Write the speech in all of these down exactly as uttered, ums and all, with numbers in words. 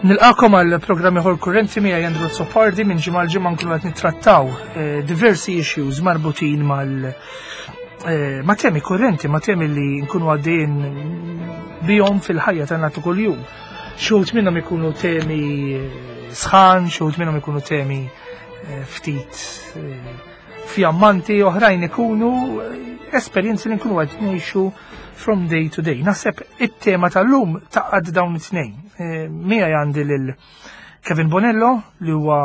Nilqagħkom għal programm ieħor Kurrenti, miegħi Andrew Azzopardi. Minn ġimgħa l ġimgħa nkunu qed nittrattaw eh, diversi issues marbutin mal eh, ma' temi kurrenti, ma' temi li nkunu għaddejjin bihom fil-ħajja tagħna ta' kuljum. Xi wħud minnhom ikunu temi eh, sħan, xi wħud minnhom ikunu temi eh, ftit eh, fjammanti, oħrajn ikunu eh, esperjenzi li nkunu qed ngħixu from day to day. Naħseb it-tema tal-lum tgħaqqad dawn it-tnejn. Eh, Miegħi għandi lil Kevin Bonello li huwa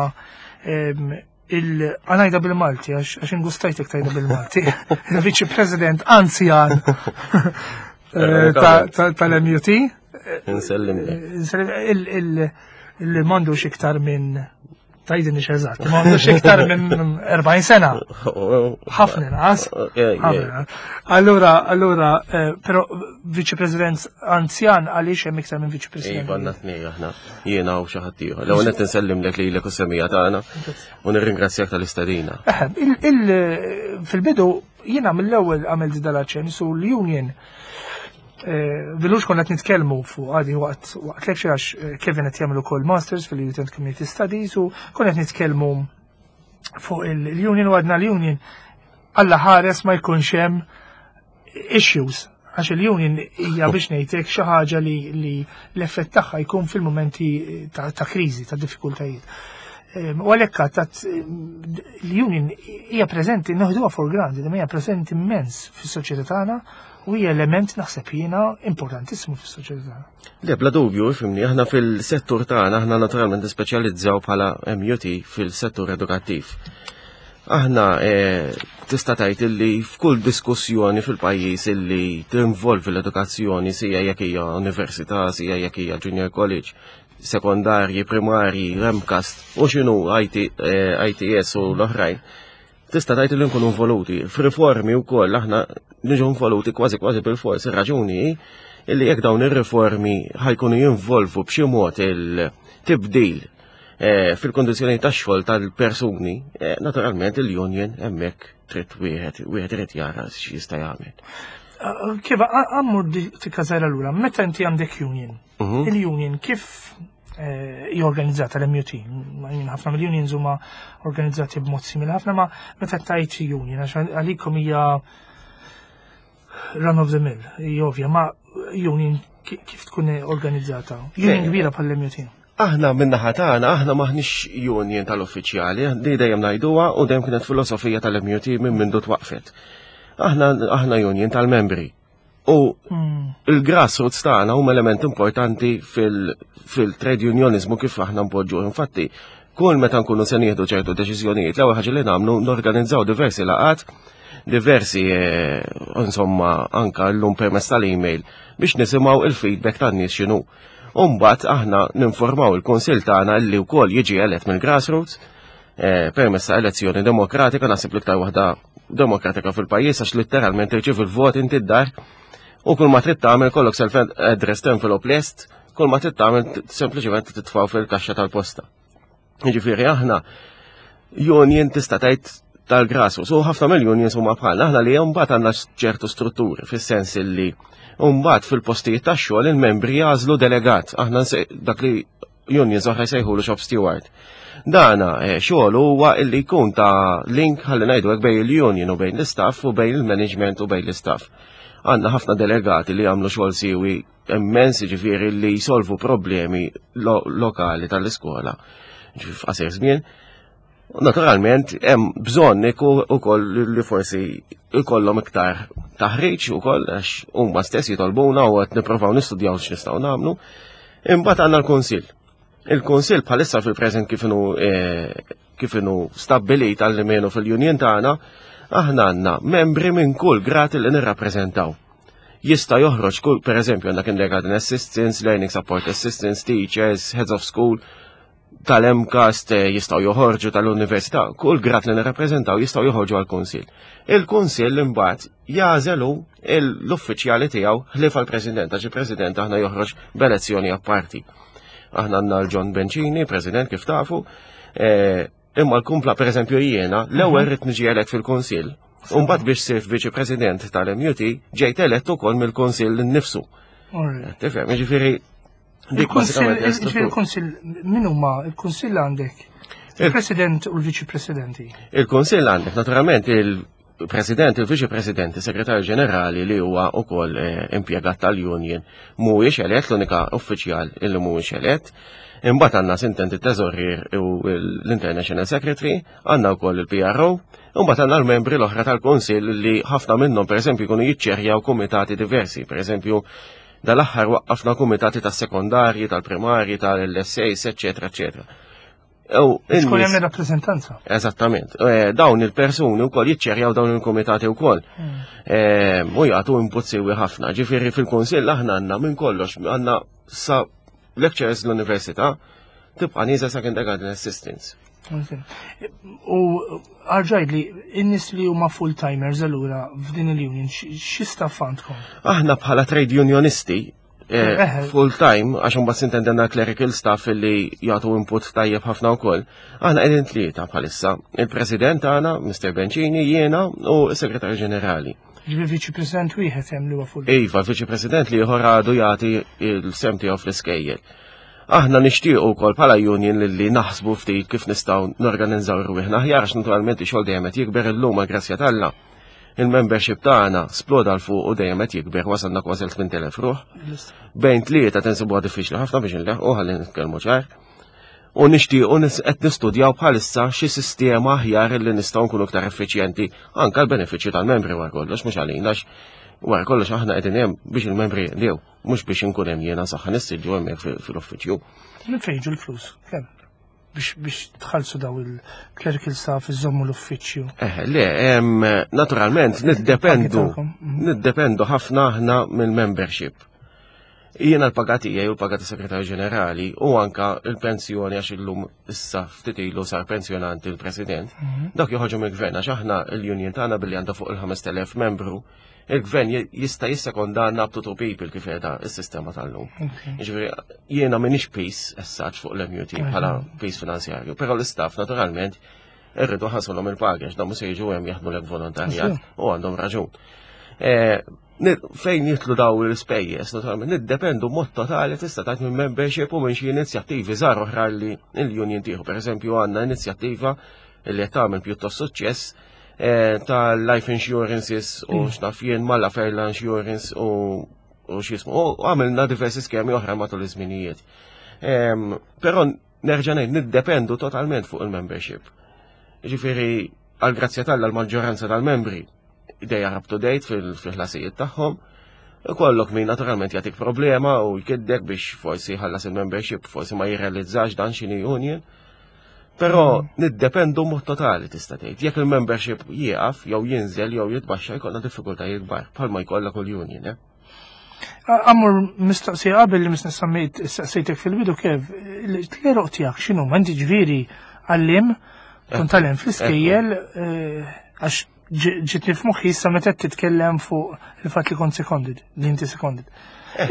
em, il ħa ngħidha bil-Malti għax għax ingustajtek tgħidha bil-Malti. Il-Viċi President anzjan eh, ta- ta- tal-M U T. Nsellim. Il- il- Il m'għandux iktar minn, tgħidilni eżatt, m'għandux iktar minn erbgħin sena. Ħafna inqas. Ħafna. Allura, allura, eh, però Viċi President anzjan għaliex hemm iktar minn Viċi President? Iva, għandna tnejn aħna. Jiena u xi ħadd ieħor. L-ewwel qed nsellimlek lilek u semmiegħa tagħna u nirringrazzjak tal-istedina. Eħe, il- il- fil-bidu jiena mill-ewwel għamilt dal-aċċenn su l-union eh, Vilux konna qed nitkellmu fuq għadi waqt waqt lecture għax eh, Kevin qed jagħmel ukoll masters fil-Youth and Community Studies u konna qed nitkellmu fuq il-union u għadna l-union Alla ħares ma jkunx hemm issues, għax il-union hija, biex ngħidlek, xi ħaġa li, li l-effett tagħha jkun fil-momenti ta', ta' kriżi, ta' diffikultajiet. Em, U għalhekk tat l-union hija preżenti, noħduha for granted, imma hija preżenti immens fis-soċjetà tagħna u hija element, naħseb jiena, importantissimu fis-soċjetà tagħna. Le, bla dubju, ifhimni, aħna fil-settur tagħna, aħna naturalment nispeċjalizzaw bħala M U T fil-settur edukattiv. Aħna eh, tista' tgħid illi f'kull diskussjoni fil-pajjiż illi tinvolvi l-edukazzjoni, sija jekk hija università, sija jekk hija junior college, sekondarji, primarji, M CAST, u x'inhu I T, eh, I T S u l-oħrajn, tista' tgħid li nkunu involuti. F'riformi wkoll aħna niġu involuti kważi kważi bil-fors. Ir-raġuni hi illi jekk dawn ir-riformi ħa jkunu jinvolvu b'xi mod il-tibdil eh, fil-kondizzjoni tax-xogħol tal-persuni, eh, naturalment il-union hemmhekk trid wieħed wieħed irid jara x'jista' jagħmel. Uh, Kif għammur tikka żgħira lura, meta inti għandek union, Mhm. il-union kif eh, hija organizzata l-M U T? Ma jien ħafna mill-unions huma organizzati b'mod simili ħafna, ma meta tajt union, għax għalikom hija run of the mill, hija ovvja, ma union ki- kif tkun organizzata? Union Le. kbira bħall-M U T. Aħna min-naħa tagħna, aħna maħniex union tal-uffiċjali, di dejjem ngħiduha u dejjem kienet filosofija tal-M U T minn mindu twaqfet. Aħna aħna union tal-membri. U Mm. il-grassroots tagħna huma element importanti fil- fil-trade unionizmu kif aħna npoġġu. Infatti, kull meta nkunu se nieħdu ċertu deċiżjonijiet, l-ewwel ħaġa li nagħmlu norganizzaw diversi laqat, diversi eh, insomma, anka llum permezz tal-email biex nisimgħu il-feedback tan-nies x'inhu. Umbagħad aħna ninformaw il-kunsill tagħna li wkoll jiġi elett mill-grassroots eh, permezz ta' elezzjoni demokratika, naħseb l-iktar waħda demokratika fil-pajjiż, għax letteralment tirċievi il-vot inti d-dar u kull ma trid tagħmel kollok self-addressed envelope lest, kull ma trid tagħmel sempliċement titfgħu fil-kaxxa tal-posta. Jiġifieri aħna union, tista' tgħid, tal-grassroots, u ħafna mill-unions huma bħalna, aħna li mbagħad għandna ċertu strutturi fis-sens illi mbagħad fil-postijiet tax-xogħol il-membri jagħżlu delegat, aħna nse- dak li unions oħra jsejħulu shop steward. Dana eh, xogħol huwa illi jkun ta' link, ħalli ngħidu hekk, bejn il-union u bejn l-istaff u bejn il-management u bejn l-istaff. Għandna ħafna delegati li jagħmlu xogħol siwi immens, ġifieri li jsolvu problemi lo lokali tal-iskola. Ġifieri f'qasir żmien. Naturalment, hemm bżonn ukoll li forsi ikollhom iktar taħriġ ukoll, għax huma stess jitolbuna u qed nippruvaw nistudjaw x'nistgħu nagħmlu. Imbagħad għandna l-kunsill. Il-kunsill bħalissa fil-preżent kif inhu eh, kif inhu stabbilit għall-menu fil-union tagħna, aħna għandna membri minn kull grad li nirrappreżentaw. Jista' joħroġ kull, per eżempju, għandna kindergarten assistants, learning support assistants, teachers, heads of school, tal-M CAST eh, jistgħu joħorġu tal-università, kull grad li nirrappreżentaw jistgħu joħorġu għal-kunsill. Il-kunsill imbagħad jagħżelu l-uffiċjali tiegħu ħlief għall-president, għax il-president aħna joħroġ b'elezzjoni apparti. Aħna għandna l-John Bencini, president kif tafu, eh, imma l-kumpla, per eżempju jiena, l-ewwel rrid niġi elett fil-kunsill. Umbagħad biex sirt viċi president tal-M U T ġejt elett ukoll mill-kunsill nnifsu. Tifhem, jiġifieri Dik bażikament hija struttura. Il-Kunsill, min huma il-Kunsill għandek? Il-President u l-Viċi Presidenti. Il-Kunsill għandek naturalment il-President, il-Viċi President, il-Segretarju Ġenerali li huwa wkoll eh, impjegat tal-Union mhuwiex elett, l-unika uffiċjal illi mhuwiex elett. Imbagħad għandna sintent it-Teżorier u l-International Secretary, għandna wkoll il-P R O, u mbagħad għandna l-membri l-oħra tal-Kunsill li ħafna minnhom, pereżempju, jkunu jiċċerjaw kumitati diversi, pereżempju dal-aħħar waqqafna kumitati tas-sekondarji, tal-primarji, tal-L S As, eċetera, eċetera. U Tkun in-nies- hemm rappreżentanza. Eżattament. Eh, Dawn il-persuni wkoll jiċċerjaw dawn il-komitati wkoll. Eh, U jagħtu input siwi ħafna. Ġifieri fil-kunsill aħna għandna minn kollox, għandna sa lecturers l-università, tibqa' nieżel sa kindergarten assistants. U erġa' għidli, in-nies li huma full-timers allura f'din il-union, xi staff għandkom? Aħna bħala trade unionisti eh, Eh. full time, għax imbagħad sintendi għandna clerical staff li jagħtu input tajjeb ħafna wkoll. Aħna qegħdin tlieta bħalissa. Il-President tagħna, Mister Bencini, jiena u s-Segretarju Ġenerali. Ġifieri Viċi President wieħed hemm li huwa full. Iva, Viċi President li ieħor għadu jagħti il-sehem tiegħu fl-iskejjel. Aħna nixtiequ wkoll bħala union li, li naħsbu ftit kif nistgħu norganizzaw rwieħna aħjar, għax naturalment ix-xogħol dejjem qed jikber illum, għal grazzja t'Alla. Il-membership tagħna sploda 'l fuq u dejjem qed jikber, wasalna kważi l-tmien elef ruħ. Bejn tlieta tinsibuha diffiċli ħafna biex nleħqu, ħalli nitkellmu ċar. U nixtiequ nis- qed nistudjaw bħalissa xi sistema aħjar li nistgħu nkunu aktar effiċjenti anke l-benefiċċju tal-membri wara kollox, mhux għalina, għax wara kollox aħna qegħdin hemm biex il-membri jinqdew, mhux biex inkun hemm jiena saħħa nissiġġu hemmhekk fil- fil-uffiċċju. Minn fejn jiġu l-flus? Kemm? Biex biex tħallsu daw il-clerical staff, iżommu l-uffiċċju. Eh, le, em, naturalment niddependu tagħkom, mhm. niddependu ħafna aħna mill-membership. Jiena l-paga tiegħi u l-paga tas-Segretarju Ġenerali u anka il-pensjoni, għax illum issa ftit ilu sar pensjonanti il-President, dak joħorġu mill-gvern, għax aħna l-union tagħna billi għandha fuq il-ħamest elef membru, il-gvern ji- jista' jissekondanna up to two people kif qiegħda s-sistema tal-lum. Jiġifieri jiena m'iniex piż essaċ fuq l-M U T bħala piż finanzjarju, però l-istaff naturalment irridu nħallsulhom il-paga, għax dawn mhux se jiġu hemm jaħdmu lek volontarjat u għandhom raġun. Eh, ni- Fejn jidħlu daw l-ispejjeż, naturalment niddependu mod totali, tista' tgħid, minn membership u minn xi inizjattivi żgħar oħra li l-union tieħu. Pereżempju għandna inizjattiva li qed tagħmel pjuttost suċċess eh, tal-life insurances u x'naf jien mal-Laferla Insurance u u x'jismu. U għamilna diversi skemi oħra matul iż-żminijiet. Em, Però nerġa' ngħid, niddependu totalment fuq il-membership. Ġifieri għal grazzja t'Alla l-maġġoranza tal-membri dejja up to date fil-ħlasijiet tagħhom. Ikollok min naturalment jagħtik problema u jkiddek biex forsi ħallas il-membership, forsi ma jirrealizzax dan x'inhi union. Però niddependu mod totali, tista' tgħid. Jekk il-membership jieqaf jew jinżel jew jitbaxxa, jkollna diffikultajiet kbar bħalma jkollha kull union, eh? Għamur mistoqsija qabel li misni semmejt saqsejtek fil-bidu kif l-għeruq tiegħek x'inhu, inti ġifieri għalliem, kont tgħallem fl-iskejjel, eh, għax ġitni f'moħħi issa meta qed titkellem fuq il-fatt li kont seconded, li inti seconded.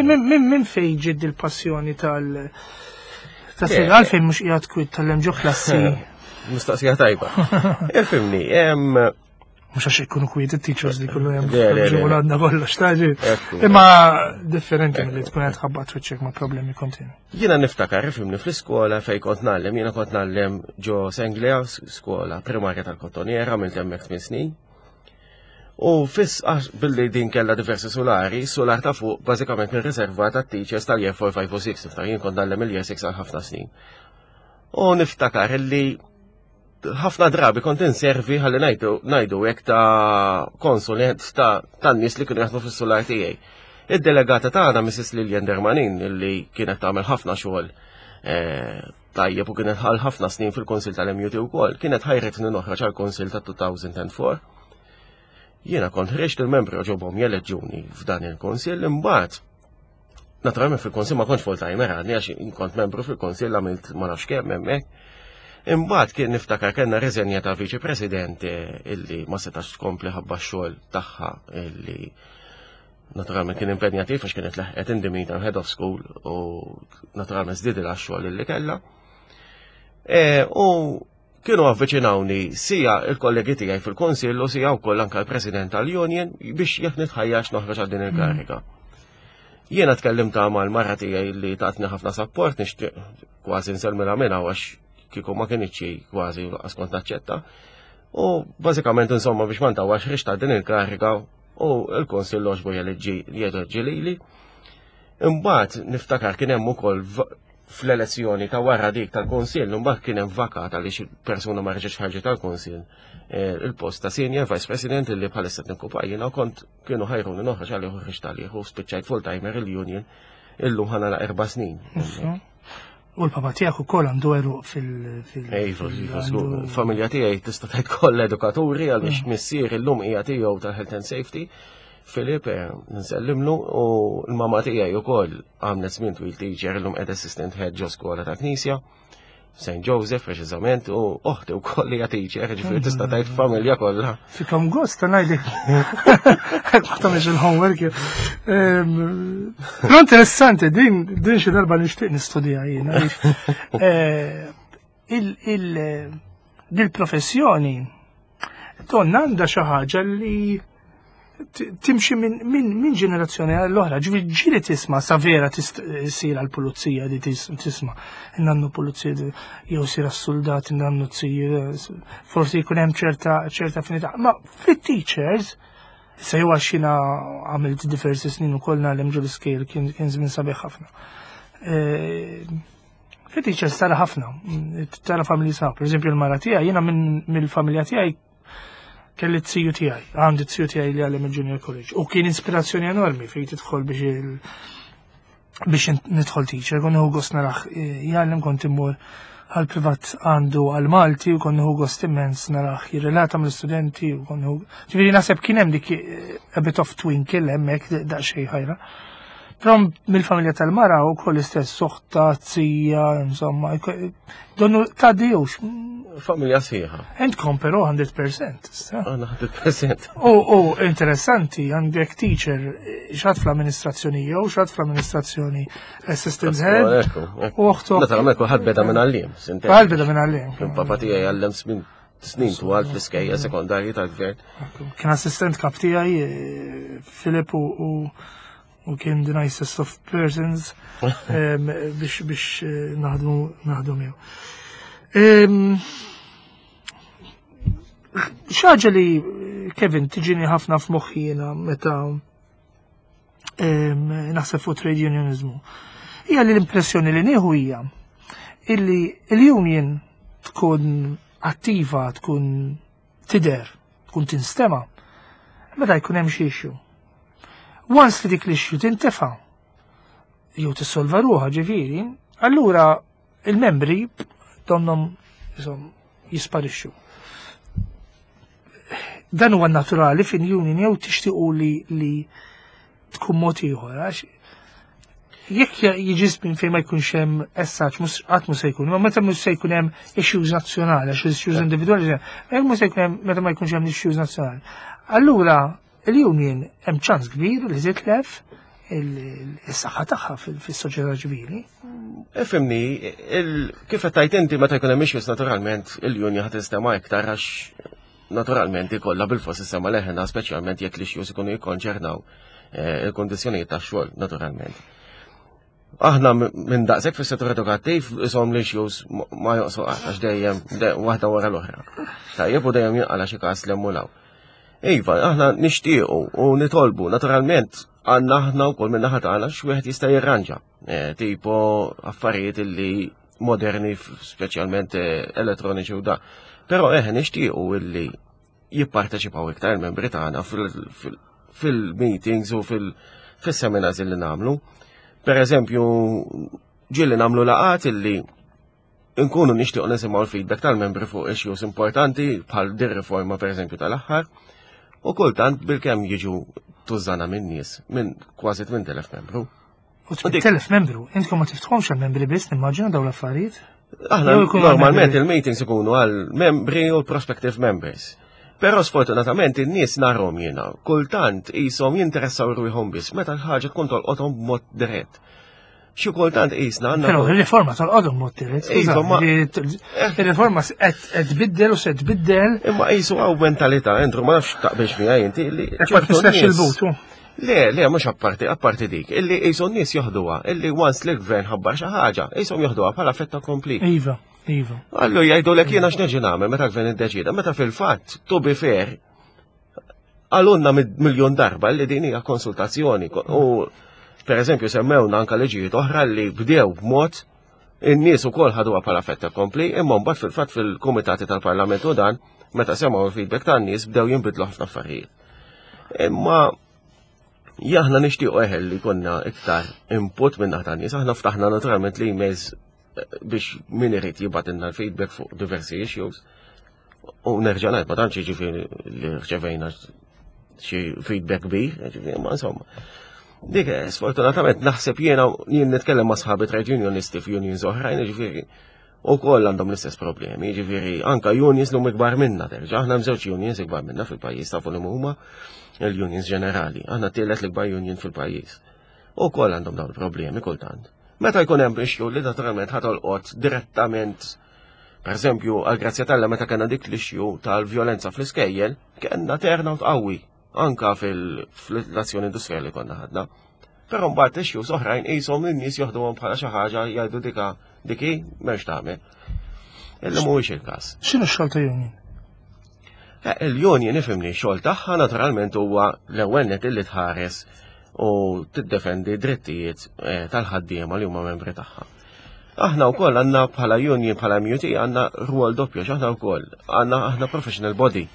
Minn min fejn ġiet il-passjoni tal ta' Le. għalfejn mhux qiegħed kwit tgħallem ġo klassi? Mistoqsija tajba. Ifhimni, em, Mhux għax ikunu kwiet it-teachers li kullu hemm Le, le, le, le. għandna kollox taġi. Ekku. Imma differenti milli tkun qed tħabbat wiċċek ma' problemi kontinwi. Jiena niftakar, ifhimni, fl-iskola fej kont ngħallem, jiena kont ngħallem ġo Senglea, skola primarja tal-Kottonera, għamilt hemmhekk tmien snin. U fis għax billi din kella diversi solari, solar ta' fuq bażikament kien riservat għat-teachers tal-year four, five u six, niftakar jien kont ngħallem il-year six għal ħafna snin. U niftakar illi ħafna drabi kont inservi, ħalli ngħidu ngħidu hekk, ta' konsulent ta' tan-nies li kienu jaħdmu fis-solar tiegħi. Id-delegata tagħna, Missus Lilian Dermanin, illi kienet tagħmel ħafna xogħol eh, tajjeb u kienet għal ħafna snin fil-Konsil tal-M U T wkoll, kienet ħajretni noħroġ għall-Konsil ta' elfejn u erbgħa. Jiena kont ħriġt, il-membri għoġobhom jeleġġuni f'dan il-Konsil, imbagħad naturalment fil-Konsil ma kontx full-timer għadni, għax kont membru fil-Konsil għamilt ma nafx kemm hemmhekk. Imbagħad kien niftakar kellna reżenja ta' viċi president eh, illi ma setax tkompli ħabba x-xogħol tagħha illi naturalment kien impenjattiv, għax kienet laħqet in the meantime head of school u naturalment żdiedilha x-xogħol illi kellha. E, u kienu avviċinawni sija il-kollegi tiegħi fil-Konsill u sija wkoll anke l-President tal-Union biex jekk nitħajjax noħroġ għal din il-kariga. Jiena tkellimt mal-mara tiegħi li tatni ħafna support, nixtieq kważi nsellmilha minna għax kieku ma kinitx kważi lanqas kont naċċetta. U bażikament, insomma, biex ma ntawwalx, ħriġt din il-kariga u l-Kunsill għoġbu jeleġġi lili. Imbagħad niftakar kien hemm ukoll fl-elezzjoni ta' wara dik tal-Kunsill, imbagħad kien hemm vakat għaliex persuna ma reġgħetx ħarġet tal-Kunsill, eh, il-post ta' Senior Vice President li bħalissa nikkupa jiena, kont kienu ħajruni noħroġ għalih u ħriġt għalih u spiċċajt full-timer il-union illum ħa nagħlaq erba' snin. U l-papa tiegħek ukoll għandu għeruq fil- fil- Iva, iva, żgur. Familja tiegħi tista' tgħid kollha edukaturi għaliex missier illum hija tiegħu tal-Health and Safety. Filip, eh, nsellimlu, u l-mama tiegħi wkoll għamlet żmien twil teacher, illum qed assistant head ġo skola ta' Knisja. Saint Joseph preċiżament, u oħti wkoll hija teacher, ġifieri tista' tgħid familja kollha. Fikom gost, ta' ngħidlek. Ma tagħmilx il-homework. Ehm, Però interessanti, din din xi darba nixtieq nistudja jien. Għaliex, eh, il il dil-professjoni donna għandha xi ħaġa li t- timxi minn min, min ġenerazzjoni għall-oħra. Ġifieri ġieli tisma' sa vera sir għall-pulizija di tis- tisma' nannu pulizija di- jew sir għas-soldat, nannu tsir, forsi jkun hemm ċerta ċerta affinità. Ma fit-teachers, se jew għax jiena għamilt diversi snin ukoll ngħallem ġol iskejjel, kien kien żmien sabiħ ħafna. Eh, Fit-teachers tara ħafna, tara familji sa. Per eżempju, l-mara tiegħi, jiena minn mill-familja tiegħi kelli t-siju tiegħi, għandi t-siju tiegħi li għallem il-Junior College. U kien ispirazzjoni enormi fejn tidħol biex il biex nidħol teacher, kont nieħu gost narah eh, jgħallem, kont immur għal privat għandu għal Malti u kont nieħu gost immens narah jirrelata mill-studenti u kont nieħu. Ġifieri naħseb kien hemm dik eh, a bit of twinkle hemmhekk daqsxejn ħajra. Però mill-familja tal-mara u koll istess, oħtha, zija, insomma, donnu ta' dijux. Familja sħiħa. Entkom però mija fil-mija. Issa. Għandna mija fil-mija. U, u interessanti, għandek teacher, xi ħadd fl-amministrazzjoni jew xi ħadd fl-amministrazzjoni assistant head, Ekku, ekku. u oħtu. Naturalment kulħadd beda minn għalliem. Għal beda minn għalliem. Kien papa tiegħi għallem snin snin twal fl-iskejjel sekondarji tal-gvern. Kien assistent kap tiegħi, eh, Filip, u, u, u kien the nicest of persons em, biex biex eh, naħdmu naħdmu miegħu. Em, Xi ħaġa li, Kevin, tiġini ħafna f'moħħi jiena meta em, naħseb fuq trade unionizmu. Hija li l-impressjoni li nieħu hija illi l-union tkun attiva, tkun tidher, tkun tinstema, meta jkun hemm xi issue. Once li dik l-issue tintefa' jew tissolva ruħha ġifieri, allura il-membri donnom insomma jisparixxu. Dan huwa naturali fin union jew tixtiequ li li tkun mod ieħor, għax jekk jiġi żmien fejn ma jkunx hemm essaċ, mhux qatt mhux se jkun, ma meta mhux se jkun hemm issues nazzjonali, għax issues individwali, jekk mhux se jkun hemm, meta ma jkunx hemm issues nazzjonali. Allura il-union hemm ċans kbir li titlef il-saħħa tagħha fis-soċjetà ċivili. Ifhimni, kif qed tgħid inti, meta jkun hemm issues, naturalment il-union ħa tinstema' iktar għax naturalment ikollha bilfors issemma leħenha, speċjalment jekk l-issues ikunu jikkonċernaw eh, il-kondizzjonijiet tax-xogħol naturalment. Aħna minn daqshekk fis-settur edukattiv isom l-issues ma joqsu qatt għax dejjem waħda wara l-oħra. Tajjeb, u dejjem jinqala xi każ 'l hemm. Iva, aħna nixtiequ u nitolbu, naturalment għandna aħna wkoll minn naħa tagħna x'wieħed jista' jirranġa. Eh, tipo affarijiet illi moderni, speċjalment eh, elettroniċi u da. Però eħe, nixtiequ illi jipparteċipaw iktar il-membri tagħna fil-meetings u fil-seminars illi nagħmlu. Per eżempju, ġieli nagħmlu laqgħat illi nkunu nixtiequ nisimgħu l-feedback tal-membri fuq issues importanti bħal dir riforma, per eżempju, tal-aħħar, u kultant bilkemm jiġu tużana minn nies, minn kważi tmien elef membru. U tmien elef membru, intkom ma tiftħomx għal-membri biss, nimmaġina, dawn l-affarijiet? Aħna normalment il-meetings ikunu għal membri u prospective members. Però sfortunatament in-nies narhom jiena, kultant qishom jinteressaw ruħhom biss meta l-ħaġa tkun tolqothom b'mod dirett. Xi kultant qisna għandna. Però il-riforma tolqothom mod dirett. Iva, Il-riforma qed tbiddel u se tbiddel. Imma qisu hawn mentalità, Andrew, ma nafx taqbilx miegħi inti li. Ma tistax il-butu. Le, le, mhux apparti, apparti dik, illi qishom nies joħduha, illi once li l-gvern ħabbar xi ħaġa, qishom joħduha bħala fait accompli. Iva, iva. Allu jgħidu lek jiena x'neġi nagħmel meta l-gvern iddeċida, meta fil-fatt, to be fair, qalulna miljon darba li din hija konsultazzjoni u per eżempju semmewna anka liġijiet oħra li bdew b'mod in-nies ukoll ħaduha bħala fait accompli, imma mbagħad fil-fatt fil-kumitati tal-Parlament u dan meta semgħu il-feedback tan-nies bdew jinbidlu ħafna affarijiet. Imma aħna nixtiequ eħel li konna iktar input minn naħa tan-nies, aħna ftaħna naturalment li emails biex min irid jibgħatilna l-feedback fuq diversi issues. U nerġa' ngħid ma tantx jiġifieri li rċevejna xi feedback kbir, jiġifieri, ma insomma. Dik, eh, sfortunatament, naħseb jiena jien nitkellem ma' sħabi trade unionisti f'unions oħrajn, jiġifieri, u koll għandhom l-istess problemi, jiġifieri, anka unions li huma ikbar minna, terġa', aħna hemm żewġ unions ikbar minna fil-pajjiż tafu li huma il-unions ġenerali, aħna tielet l-ikbar union fil-pajjiż. U koll għandhom dawn il-problemi kultant. Meta jkun hemm issue li naturalment ħa tolqot direttament. Per eżempju, għal grazzja t'Alla meta kellna dik l-issue tal-vjolenza fl-iskejjel, kellna turnout qawwi anka fil-azzjoni industrijali konna ħadna. Però mbagħad issues oħrajn qishom in-nies joħduhom bħala xi ħaġa jgħidu dika diki m'hemmx tagħmel. Illi mhuwiex il-każ. X'inhu x-xogħol ta' union? Eh, Il-union ifhimni xogħol tagħha naturalment huwa l-ewwel net illi tħares u tiddefendi drittijiet eh, tal-ħaddiema li huma membri tagħha. Aħna wkoll għandna bħala union bħala M U T għandna rwol doppju għax aħna wkoll għandna aħna professional body.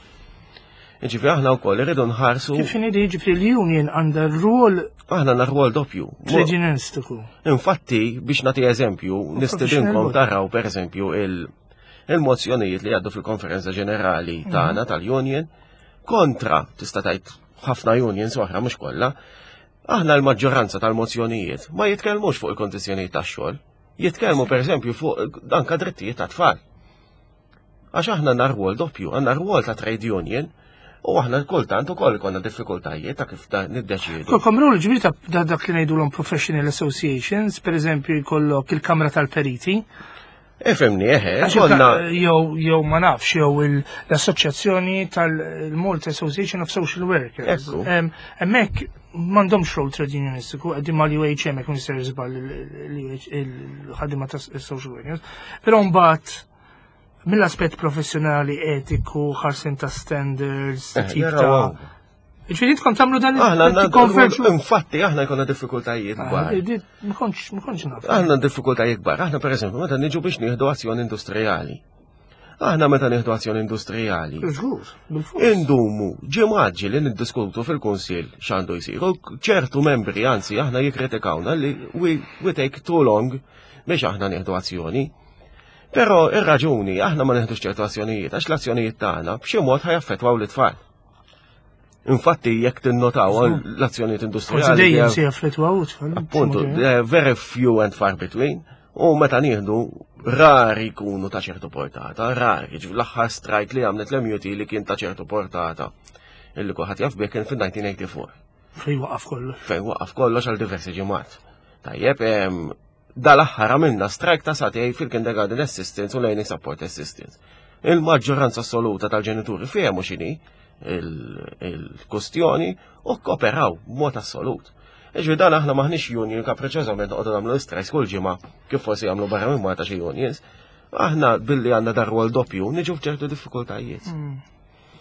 Ġifieri aħna wkoll irridu nħarsu Kif inhi jiġifieri l-union għandha rwol aħna għandna rwol doppju. trade unionistiku. Infatti, biex nagħti eżempju, nistedinkom Professional body. taraw per eżempju il- il-mozzjonijiet li għaddu fil-konferenza ġenerali tagħna tal-union kontra tista' tgħid ħafna unions oħra mhux kollha. Aħna l-maġġoranza tal-mozzjonijiet ma jitkellmux fuq il-kondizzjonijiet tax-xogħol, jitkellmu per eżempju fuq anka drittijiet ta' tfal. Għax aħna għandna rwol doppju, għandna rwol ta' trade union u aħna kultant ukoll konna diffikultajiet ta' kif ta' niddeċiedu. Kollkom rwol ġifieri ta' da- dak li ngħidulhom professional associations, per eżempju jkollok il-Kamra tal-Periti. Ifhimni, eħe, Għax konna il- Jew jew ma nafx, jew il- l-assoċjazzjoni tal-Malta Association of Social Workers. Ekku. Em, Hemmhekk m'għandhomx rol trade unionistiku, qegħdin mal-U H M jekk mister żball il-ħaddiema ta' social workers. Però mbagħad mill-aspett professjonali, etiku, ħarsin ta' standards, Eh, tip jaraw ta' hawn. Ġifieri intkom tagħmlu dan Aħna għandna tikkonverġu. Infatti, aħna jkollna diffikultajiet kbar. Ma kontx ma kontx naf. Aħna diffikultajiet kbar. Aħna per eżempju, meta niġu biex nieħdu azzjoni industrijali. Aħna meta nieħdu azzjoni industrijali, Żgur, bil-fors. indumu ġimgħat li niddiskutu fil-kunsill x'għandu jsir. U ċertu membri, anzi, aħna jikkritikawna li we, we take too long biex aħna nieħdu azzjoni. Però ir-raġuni aħna ma nieħdux ċertu azzjonijiet għax l-azzjonijiet tagħna b'xi mod ħa jaffettwaw l-itfal. Infatti, jekk tinnotaw l-azzjonijiet Forsi industrijali dejjem they se jaffettwaw tfal. Appuntu, they're very few and far between. U meta nieħdu rari jkunu ta' ċertu portata, rari, ġifieri l-aħħar strike li għamlet l-M U T li kien ta' ċertu portata. Illi kulħadd jaf bih kien fil-elf disa' mija u erbgħa u disgħin. Fej waqaf kollox. Fejn waqaf kollox għal diversi ġimgħat. Tajjeb, em, dal-aħħar għamilna strike ta' sagħtejn fil-kindergarten assistants u learning support assistants. Il-maġġoranza assoluta tal-ġenituri fehmu x'inhi il-kustjoni u kooperaw b'mod assolut. Iġvi dan aħna maħniex union kapriċożament noqogħdu nagħmlu strikes kull ġimgħa kif forsi jagħmlu barra minn Malta xi unions. Aħna billi għandna dar rwol doppju niġu f'ċertu diffikultajiet.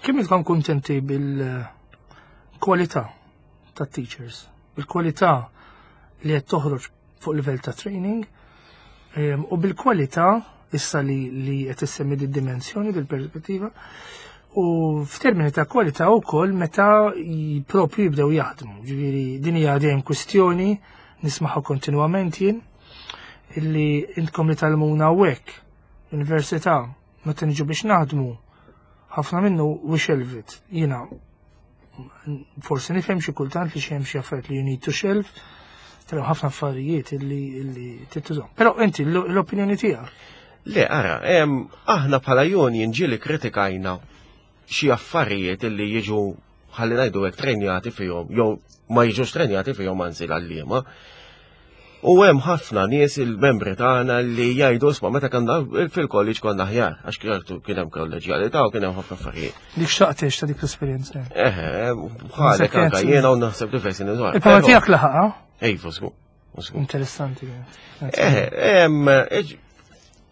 Kemm intkom kuntenti bil-kwalità tat-teachers, bil-kwalità li qed toħroġ fuq livell ta' training em, u bil-kwalità issa li li qed issemmi di dimensjoni dil-perspettiva u f'termini ta' kwalità wkoll meta j- propju jibdew jaħdmu. Ġifieri din hija dejjem kwistjoni nismaħha kontinwament jien illi intkom li tgħallmuna hawnhekk università meta niġu biex naħdmu ħafna minnu we shelve it. Jiena forsi nifhem xi kultant li xi hemm xi affarijiet li you need to shelve, però ħafna affarijiet illi illi tittużhom. Però inti l- l-opinjoni tiegħek. Le, ara, em, aħna bħala union ġieli kritikajna xi affarijiet illi jiġu ħalli ngħidu hekk trenjati fihom, jew ma jiġux trenjati fihom anzi l-għalliema. U hemm ħafna nies, il-membri tagħna, li jgħidu, "Isma', meta konna fil-college konna aħjar," għax kien hemm kolleġjalità u kien hemm ħafna affarijiet. Dik xtaqtix ta' dik l-esperjenza. Eħe, bħalek anka jiena u naħseb diversi nies. Il-papa tiegħek laħaqa? Ejfu, żgur. Interessanti. Eħe,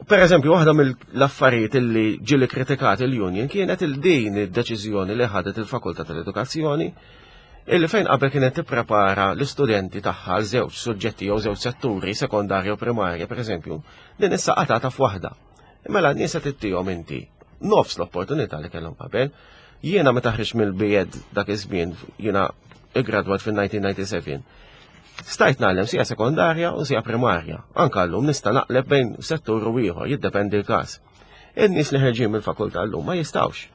per eżempju, waħda mill-affarijiet illi ġieli kritikat il-union kienet il-din id-deċiżjoni li ħadet il-Fakultà tal-Edukazzjoni, illi fejn qabel kienet tipprepara l-istudenti tagħha għal żewġ suġġetti jew żewġ setturi, sekondarja u primarja, per eżempju, din issa qatata f'waħda. Mela n-nies qed ittihom inti nofs l-opportunità li kellhom qabel. Jiena meta ħriġt mill-B Ed dak iż-żmien, jiena iggradwat fil-elf disa' mija u disgħa u disgħin. Stajt ngħallem sija sekondarja u sija primarja. Anka llum nista' naqleb bejn settur u ieħor, jiddependi l-każ. In-nies li ħerġin mill-fakultà llum ma jistgħux.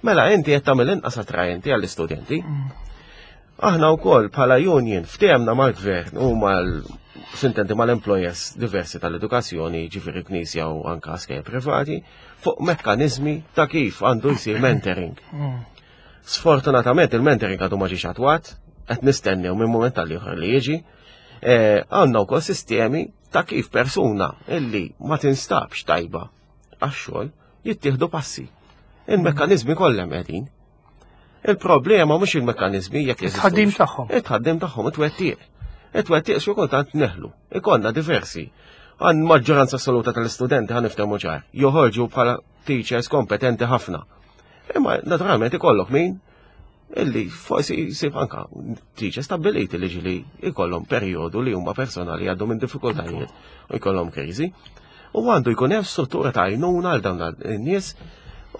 Mela inti qed tagħmel inqas attrajenti għall-istudenti. Aħna wkoll bħala union ftehemna mal-gvern u mal sintenti mal-employers diversi tal-edukazzjoni, ġifieri knisja u anka skejjel privati, fuq mekkanizmi ta' kif għandu jsir mentoring. Sfortunatament il-mentoring għadu ma ġiex attwat, qed nistennew minn moment tal ieħor li jiġi. Eh, għandna wkoll sistemi ta' kif persuna illi ma tinstabx tajba għax-xogħol jittieħdu passi. Il-mekkanizmi kollha qegħdin. Il-problema mhux il-mekkanizmi jekk jeżistux. It-tħaddim tagħhom. It-tħaddim tagħhom, it-twettiq. It-twettiq xi kultant neħlu. Ikollna diversi. Għan maġġoranza assoluta tal-istudenti, ħa niftehmu ċar, joħorġu bħala teachers kompetenti ħafna. Imma naturalment ikollok min illi forsi jsib anka teachers stabiliti li ġili ikollhom perjodu li huma personali għaddu minn diffikultajiet u jkollhom kriżi. U għandu jkun hemm struttura ta' għajnuna għal dawn in-nies.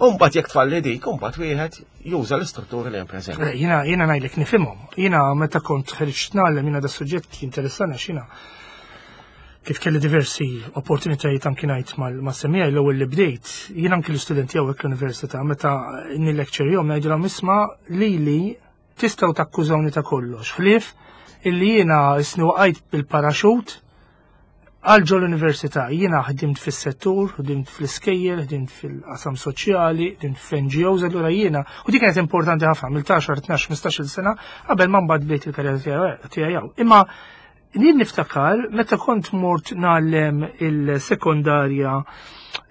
Umbagħad jekk tfalli dik, umbagħad wieħed juża l-istruttura li hemm preżenti. Eh, Jiena jiena ngħidlek nifhimhom. Jiena meta kont ħriġt ngħallem, jiena da suġġett jinteressani għax jiena kif kelli diversi opportunitajiet anki ngħid mal-semmija l-ewwel li bdejt, jiena anki l-istudenti hawnhekk l-università meta nil-lecture jom ngħidilhom, "Isma', lili tistgħu takkużawni ta' kollox, ħlief illi jiena isni waqajt bil-paraxut għal ġol l-università. Jiena ħdimt fis-settur, ħdimt fl-iskejjel, ħdimt fil-qasam soċjali, ħdimt fl-N G Os, allura jiena, u dik kienet importanti ħafna, mill-għaxar, tnax, ħmistax-il sena qabel ma mbagħad bdejt il-karriera tiegħi hawn. Imma jien niftakar meta kont mort ngħallem il-sekondarja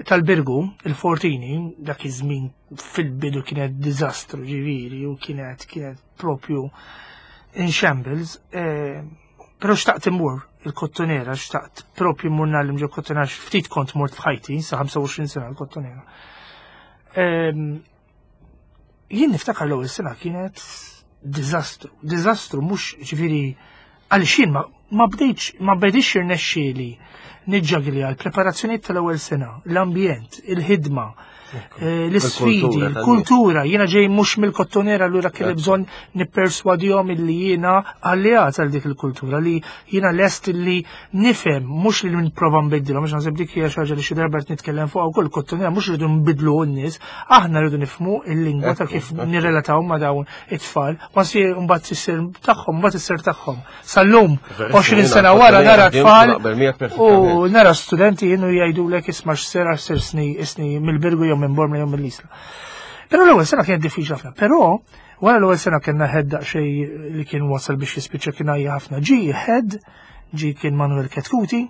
tal-Birgu, il-Fortini, dak iż-żmien fil-bidu kienet diżastru ġifieri u kienet kienet propju in shambles, eh, però xtaqt immur il-Kottonera, xtaqt propju immur ngħallem ġo Kottonera, ftit kont mort f'ħajti, sa ħamsa u għoxrin sena l-Kottonera. Ehm, Jien niftakar l-ewwel sena kienet diżastru, diżastru mhux ġifieri għaliex jien ma, ma bdejtx ma bdejtx irnexxieli niġġagli għal preparazzjonijiet tal-ewwel sena, l-ambjent, il-ħidma, eh, l-isfidi, Il-kultura il-kultura. Jiena ġej mhux mill-Kottonera, allura kelli bżonn nipperswadihom illi jiena alleat għal dik il-kultura, li jiena lest li nifhem, mhux li nipprova nbiddilhom, għax naħseb dik hija xi ħaġa li xi darba qed nitkellem fuqha wkoll, Kottonera mhux rridu nbidlu n-nies, aħna rridu nifhmu il-lingwa ta' kif nirrelataw ma' dawn it-tfal, ma si mbagħad issir tagħhom, mbagħad issir tagħhom. Sal-lum, għoxrin sena wara nara tfal u nara studenti jienu jgħidulek, "Isma', x'ser għax ser sni isni mill-Birgu jew minn Bormla jew mill-Isla." Però l-ewwel sena kienet diffiċli ħafna. Però wara l-ewwel sena kellna head daqsxejn li kien wasal biex jispiċċa, kien għajja ħafna. Ġi head, ġi kien Manuel Ketkuti,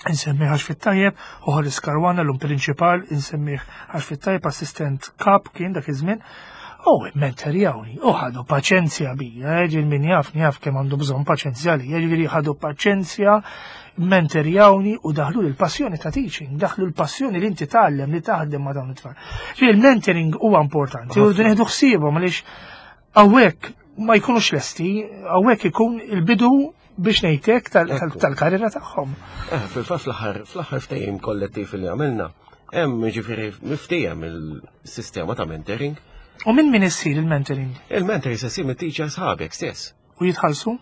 insemmih għax fit-tajjeb, u Horace Caruana l-um prinċipal, insemmih għax fit-tajjeb, assistent kap kien dak iż-żmien. U mentorjawni, u ħadu paċenzja bija, ġil min jaf, jaf kemm għandu bżonn paċenzja li, ġifieri ħadu paċenzja, mentorjawni u daħlu l-passjoni ta' teaching, daħlu l-passjoni li inti tgħallem, li taħdem ma' dawn it-tfal. Ġifieri il-mentoring huwa importanti, u rridu nieħdu ħsiebhom għaliex hawnhekk ma jkunux lesti, hawnhekk ikun il-bidu biex ngħidlek tal-karriera tagħhom. Eh, fil-fatt fl-aħħar fl-aħħar ftehim kollettiv li għamilna, hemm ġifieri miftiehem il-sistema ta' mentoring. U minn min issir il-mentoring? Il-mentoring se ssir mit-teacher sħabek stess. U jitħallsu?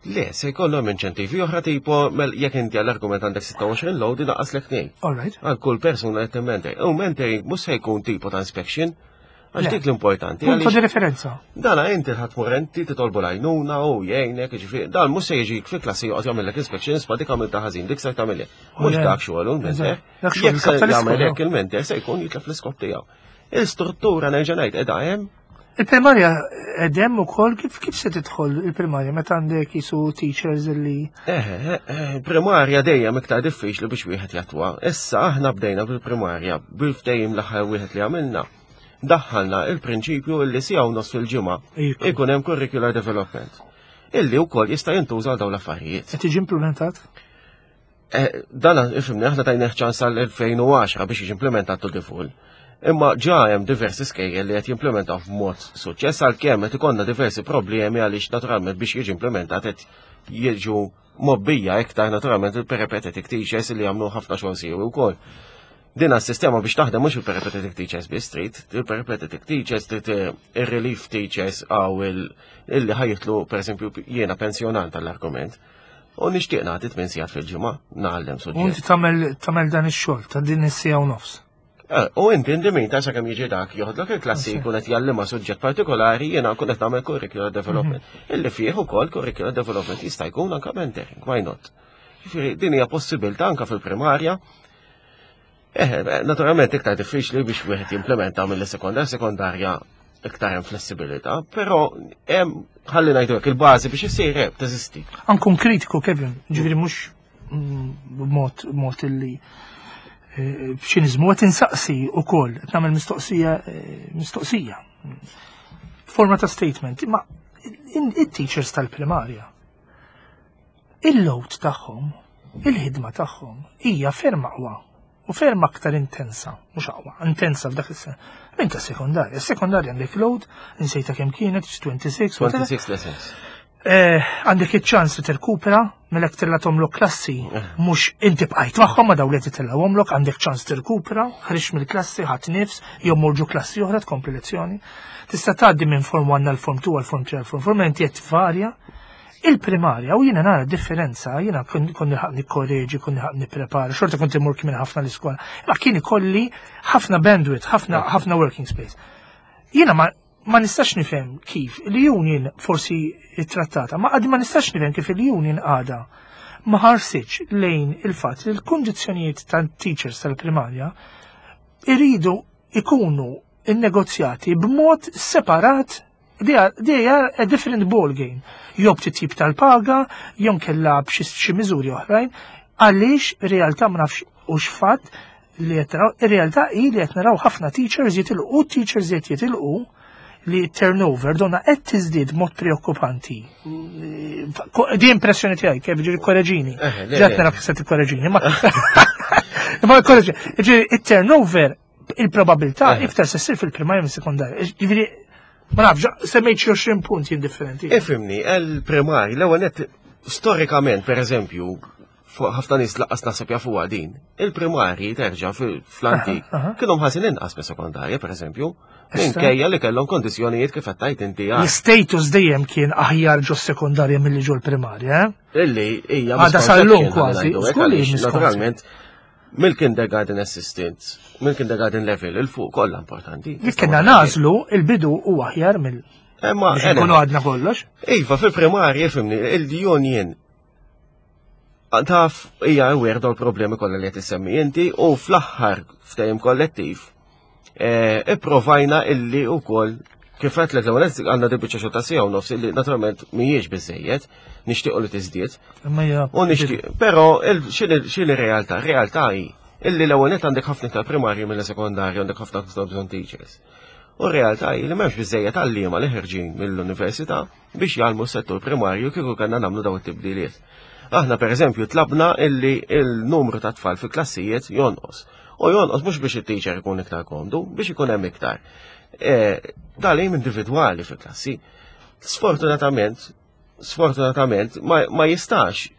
Le, se jkollhom inċentivi oħra, tipo mel jekk inti għall-argument għandek sitta u għoxrin load, inaqqaslek tnejn. All right. Għal kull persuna qed mentor. U mentoring mhux se jkun tipo ta' inspection, għax Le. dik l-importanti. Punto għaliex di referenza. Dana inti ħadd mur inti titolbu l-għajnuna u jgħinek, ġifieri, dan mhux se jiġi fil-klassi joqgħod jagħmellek inspection, "Isma', dik għamilta ħażin, dik se tagħmel." Mhux le. dak xogħol il-mentor. Eżatt. Dak xogħol Jekk se il-kap tal-iskola. jagħmel hekk il-mentor se jkun jitlef l-iskop tiegħu. Il-struttura, nerġa' ngħid, qiegħda hemm. Il-primarja edem u kol, kif, kif se tidħol il-primarja meta għandek jisu teachers li? Eh, eh, eh, primarja dejjem iktar diffiċli biex wieħed jattwa. Issa aħna bdejna bil-primarja bil-ftehim l-aħħar wieħed li għamilna. Daħħalna il-prinċipju illi siegħa u nofs fil-ġimgħa ikun hemm curricular development. Illi wkoll jista' jintuża dawn l-affarijiet. Qed tiġi implementat? Eh, dan ifhimni, aħna tajna ċans għal elfejn u għaxra biex jiġi implementat to the full. Imma ġa hemm diversi skejjel li qed jimplementaw b'mod suċċess, għalkemm qed ikollna diversi problemi għaliex naturalment biex jiġi implementat qed jiġu mgħobbija iktar naturalment il-peripatetic teachers li jagħmlu ħafna xogħol siewi wkoll. Din s-sistema biex taħdem mhux il-peripatetic teachers biss trid, il-peripatetic teachers trid, il-relief teachers għaw illi ħa jitilqu, pereżempju jiena pensjonant tal-argument. U nixtieq nagħti tmien sigħat fil-ġimgħa ngħallem U suġġett. inti tagħmel tagħmel dan ix-xogħol ta' din is-siegħa u nofs. Eh, U inti inti min ta' sakemm jiġi dak joħodlok il-klassi jkun qed jgħallimha suġġett partikolari, jiena nkun qed nagħmel curricular development. Illi fih ukoll curricular development jista' jkun anke mentoring, why not? Jiġifieri din hija possibilità anke fil-primarja. Eh, naturalment iktar diffiċli biex wieħed jimplementa mill-sekondarja, sekondarja iktar hemm flessibilità, però hemm, ħalli ngħidu hekk, il-bażi biex isir hemm teżisti. Ankun kritiku, Kevin, ġifieri mhux mm, b'mod mod illi eh, b'ċiniżmu, qed insaqsi ukoll, qed nagħmel mistoqsija eh, mistoqsija. Forma ta' statement, imma in- it-teachers tal-primarja il-load tagħhom, il-ħidma tagħhom hija ferm aqwa u ferm aktar intensa, mhux aqwa, intensa f'dak is-sena. Minn ta' sekondarja, sekondarja għandek load, insejta kemm kienet, tlieta u għoxrin, whatever. tlieta u għoxrin lessons. Eh, għandek iċ-ċans li tirkupra mela tellgħathomlok klassi, mhux inti bqajt magħhom ma daw li titellgħuhomlok, għandek ċans tirkupra, ħriġt mill-klassi, ħadt nifs, jew morġu klassi oħra tkompli lezzjoni. Tista' tgħaddi minn form one għal form two għal form three għal form four, mela inti qed tvarja. Il-primarja, u jiena nara differenza, jiena kon kon nilħaq nikkoreġi, kon nilħaq nipprepara, xorta kont imur kien ħafna l-iskola, ma kien ikolli ħafna bandwidth, ħafna ħafna working space. Jiena ma ma nistax nifhem kif il-union forsi trattata, ma għadi ma nistax nifhem kif il-union għada ma ħarsitx lejn il-fatt li l-kundizzjonijiet tal-teachers tal-primarja iridu ikunu innegozjati b'mod separat. They are, they are a different ball game. Jew b'titjib tal-paga, jew kella b'xi xi miżuri oħrajn, għaliex realtà ma nafx u x'fatt li qed naraw, ir-realtà hi li qed naraw ħafna teachers jitilqu, teachers qed jitilqu, li turnover donna qed tiżdied mod preokkupanti. Di impressjoni tiegħi, kif ġifieri korreġini. Eh, le, Ġat le. nara kif se tikkorreġini, ma ma korreġini. Ġifieri it-turnover, il-probabilità Eh. iktar se ssir fil-primarja minn sekondarja. Ġifieri ma nafx, semmejt xi għoxrin punt jien differenti. Ifhimni, il-primarji, l-ewwel net, storikament, per eżempju, fuq ħafna nies lanqas naħseb jafuha din, il-primarji terġa' fil- fl-antik Aha, aha. kienu mħallsin inqas mis sekondarja, per eżempju, Issa. minkejja li kellhom kondizzjonijiet kif qed tgħid inti għal. L-status dejjem kien aħjar ġo sekondarja milli ġo l-primarja, eh? Illi hija Għada sal-lum misconception, kważi, ħalli ngħidu hekk, żgur li għaliex misconception. naturalment mill-kindergarten assistant, mill-kindergarten level, il-fuq kollha importanti. Jekk kienna nażlu, il-bidu u aħjar mill Imma biex nkunu għadna kollox. Iva, fil-primarji, fhimni, il-union taf hija aware dawn il-problemi kollha li qed issemmi inti u fl-aħħar ftehim kollettiv eh, ipprovajna illi wkoll kif qed l-ewwel għandna di biċċa xogħol ta' siegħa u nofs illi naturalment mhijiex biżejjed, nixtiequ li tiżdied. Imma hija U nixtieq, però il- x'inhi x'inhi realtà? Realtà hi illi l-ewwel net għandek ħafna iktar primarji mill sekondarju, għandek ħafna iktar bżonn teachers. U r-realtà hi li m'hemmx biżejjed għalliema li ħerġin mill-università biex jgħallmu s-settur primarju kieku kellna nagħmlu daw it-tibdiliet. Aħna per eżempju tlabna illi il-numru ta' tfal fi klassijiet jonqos. U jonqos mhux biex it-teacher ikun iktar komdu, biex ikun hemm iktar. E, Tagħlim individwali fi klassi. Sfortunatament, sfortunatament ma, ma jistax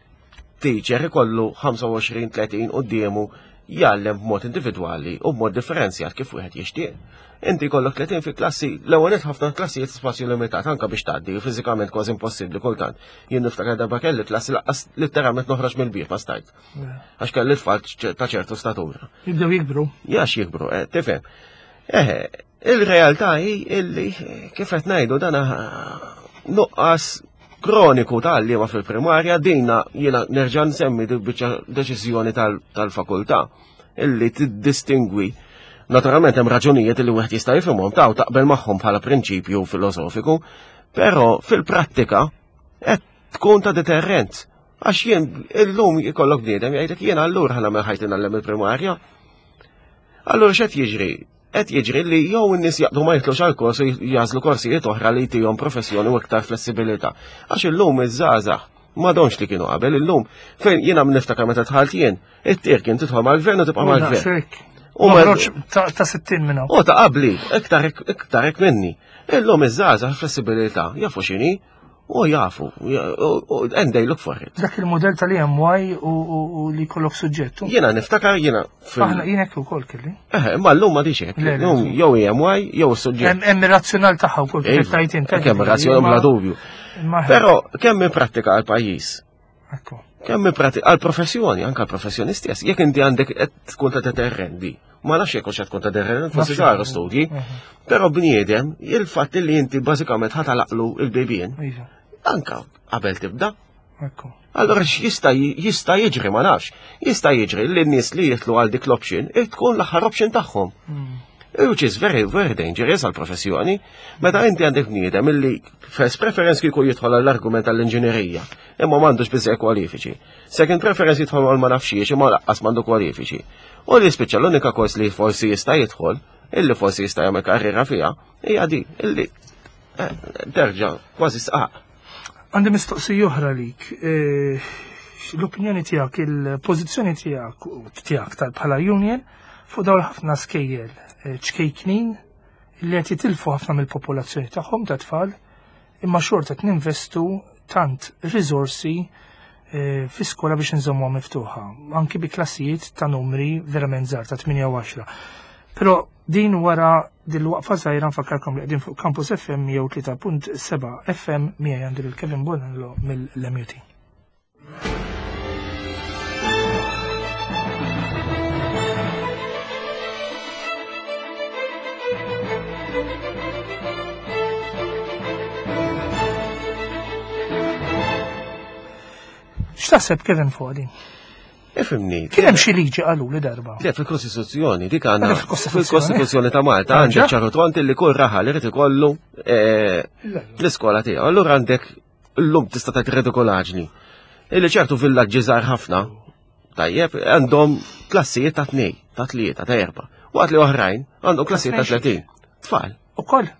teacher ikollu ħamsa u għoxrin tletin quddiemu jgħallem b'mod individwali u b'mod differenzjat kif wieħed jixtieq. Inti jkollok tletin fi klassi, l-ewwel nett ħafna klassijiet spazju limitat anke biex tgħaddi, fiżikament kważi impossibbli kultant. Jien niftakar darba kelli klassi lanqas letteralment noħroġ mill-bieb ma stajt. Għax kelli tfal ta' ċertu statura. Jibdew jikbru. Jax jikbru, eh, tifhem. Eh, il-realtà hi illi kif qed ngħidu dana nuqqas kroniku ta' għalliema fil-primarja. Dina jiena nerġa' nsemmi dik biċċa deċiżjoni tal-fakultà illi tiddistingwi Naturalment hemm raġunijiet li wieħed jista' jifhimhom ta' u taqbel magħhom bħala prinċipju filosofiku, però fil-prattika qed tkun ta' deterrent. Għax jien illum jkollok bniedem jgħidlek jien allura ħa nagħmel ħajti ngħallem il-primarja. Allura x'qed jiġri? Qed jiġri li jew in-nies jaqdu ma jitlux għal kors u jagħżlu korsijiet oħra li jtihom professjoni u iktar flessibilità. Għax illum iż-żgħażagħ m'għadhomx li kienu qabel illum fejn jiena niftakar meta dħalt jien, it-tir kien tidħol mal-gvern u tibqa' mal-gvern. U ma ta' sittin minna. U ta' qabli, iktar iktar minni. Illum iż-żgħażagħ flessibilità, jafu x'inhi, u jafu, and they look for it. Dak il-modell tal-E M Y u li kollok suġġettu. Jiena niftakar, jiena. Aħna jien hekk ukoll kelli. Eh, ma llum ma hekk. Llum jew E M Y jew suġġett. Hemm ir-razzjonal tagħha wkoll kif tajt inti. Kemm razzjonal bla dubju. Però kemm in pratika għal pajjiż. Kemm in pratika għal professjoni, anke għal professjoni stess. Jekk inti għandek qed tkun ta' deterrendi. Ma nafx jekk hux tkun ta' deterrent, forsi saru studji. Però bniedem, il-fatt li inti bażikament ħa tagħlaqlu il-bibien. Iva. Anka qabel tibda. Allora x'jista' jista' jiġri, ma nafx. Jista' jiġri li n-nies li jitlu għal dik l-option tkun l-aħħar option tagħhom. Hmm. Which is very, very dangerous għal professjoni. Meta inti għandek bniedem illi first preference kieku jidħol għall-argument għall-inġinerija, imma m'għandux biżejjed kwalifiċi. Second preference jidħol għal ma nafxiex, imma lanqas m'għandu kwalifiċi. U li spiċċa l-unika kors li forsi jista' jidħol, illi forsi jista' jagħmel karriera fiha, hija di, illi eh, terġa' kważi sqaq. Għandi mistoqsija oħra lik. Eh, l-opinjoni tiegħek, il-pożizzjoni tiegħek tiegħek tal bħala union fuq dawn ħafna skejjel eh, ċkejknin li qed jitilfu ħafna mill-popolazzjoni tagħhom ta' tfal, imma xorta qed ninvestu tant riżorsi eh, fi skola biex nżommuha miftuħa, anki bi klassijiet ta' numri verament żgħar ta' tmienja u għaxra. Però din wara dil-waqfa żgħira. Nfakkarkom li qegħdin fuq Campus F M jew tlieta punt seba' F M, miegħi għandi lil Kevin Bonello mill-M U T. X'taħseb, Kevin, fuq din? Ifhimni. Kien hemm xi liġi qalu li darba. Le, fil-Kostituzzjoni, dik għandna. Fil-Kostituzzjoni. Fil-Kostituzzjoni ta' Malta għandek ċar u tond li kull raħal irid ikollu eh, l-iskola tiegħu. Allura għandek llum tista' tgħid redikolaġni. Illi ċertu villaġġi żgħar ħafna, tajjeb, għandhom klassijiet ta' tnej, ta' tlieta, ta' erba'. Waqt li oħrajn għandhom klassijiet ta' tletin. Tfal. Ukoll.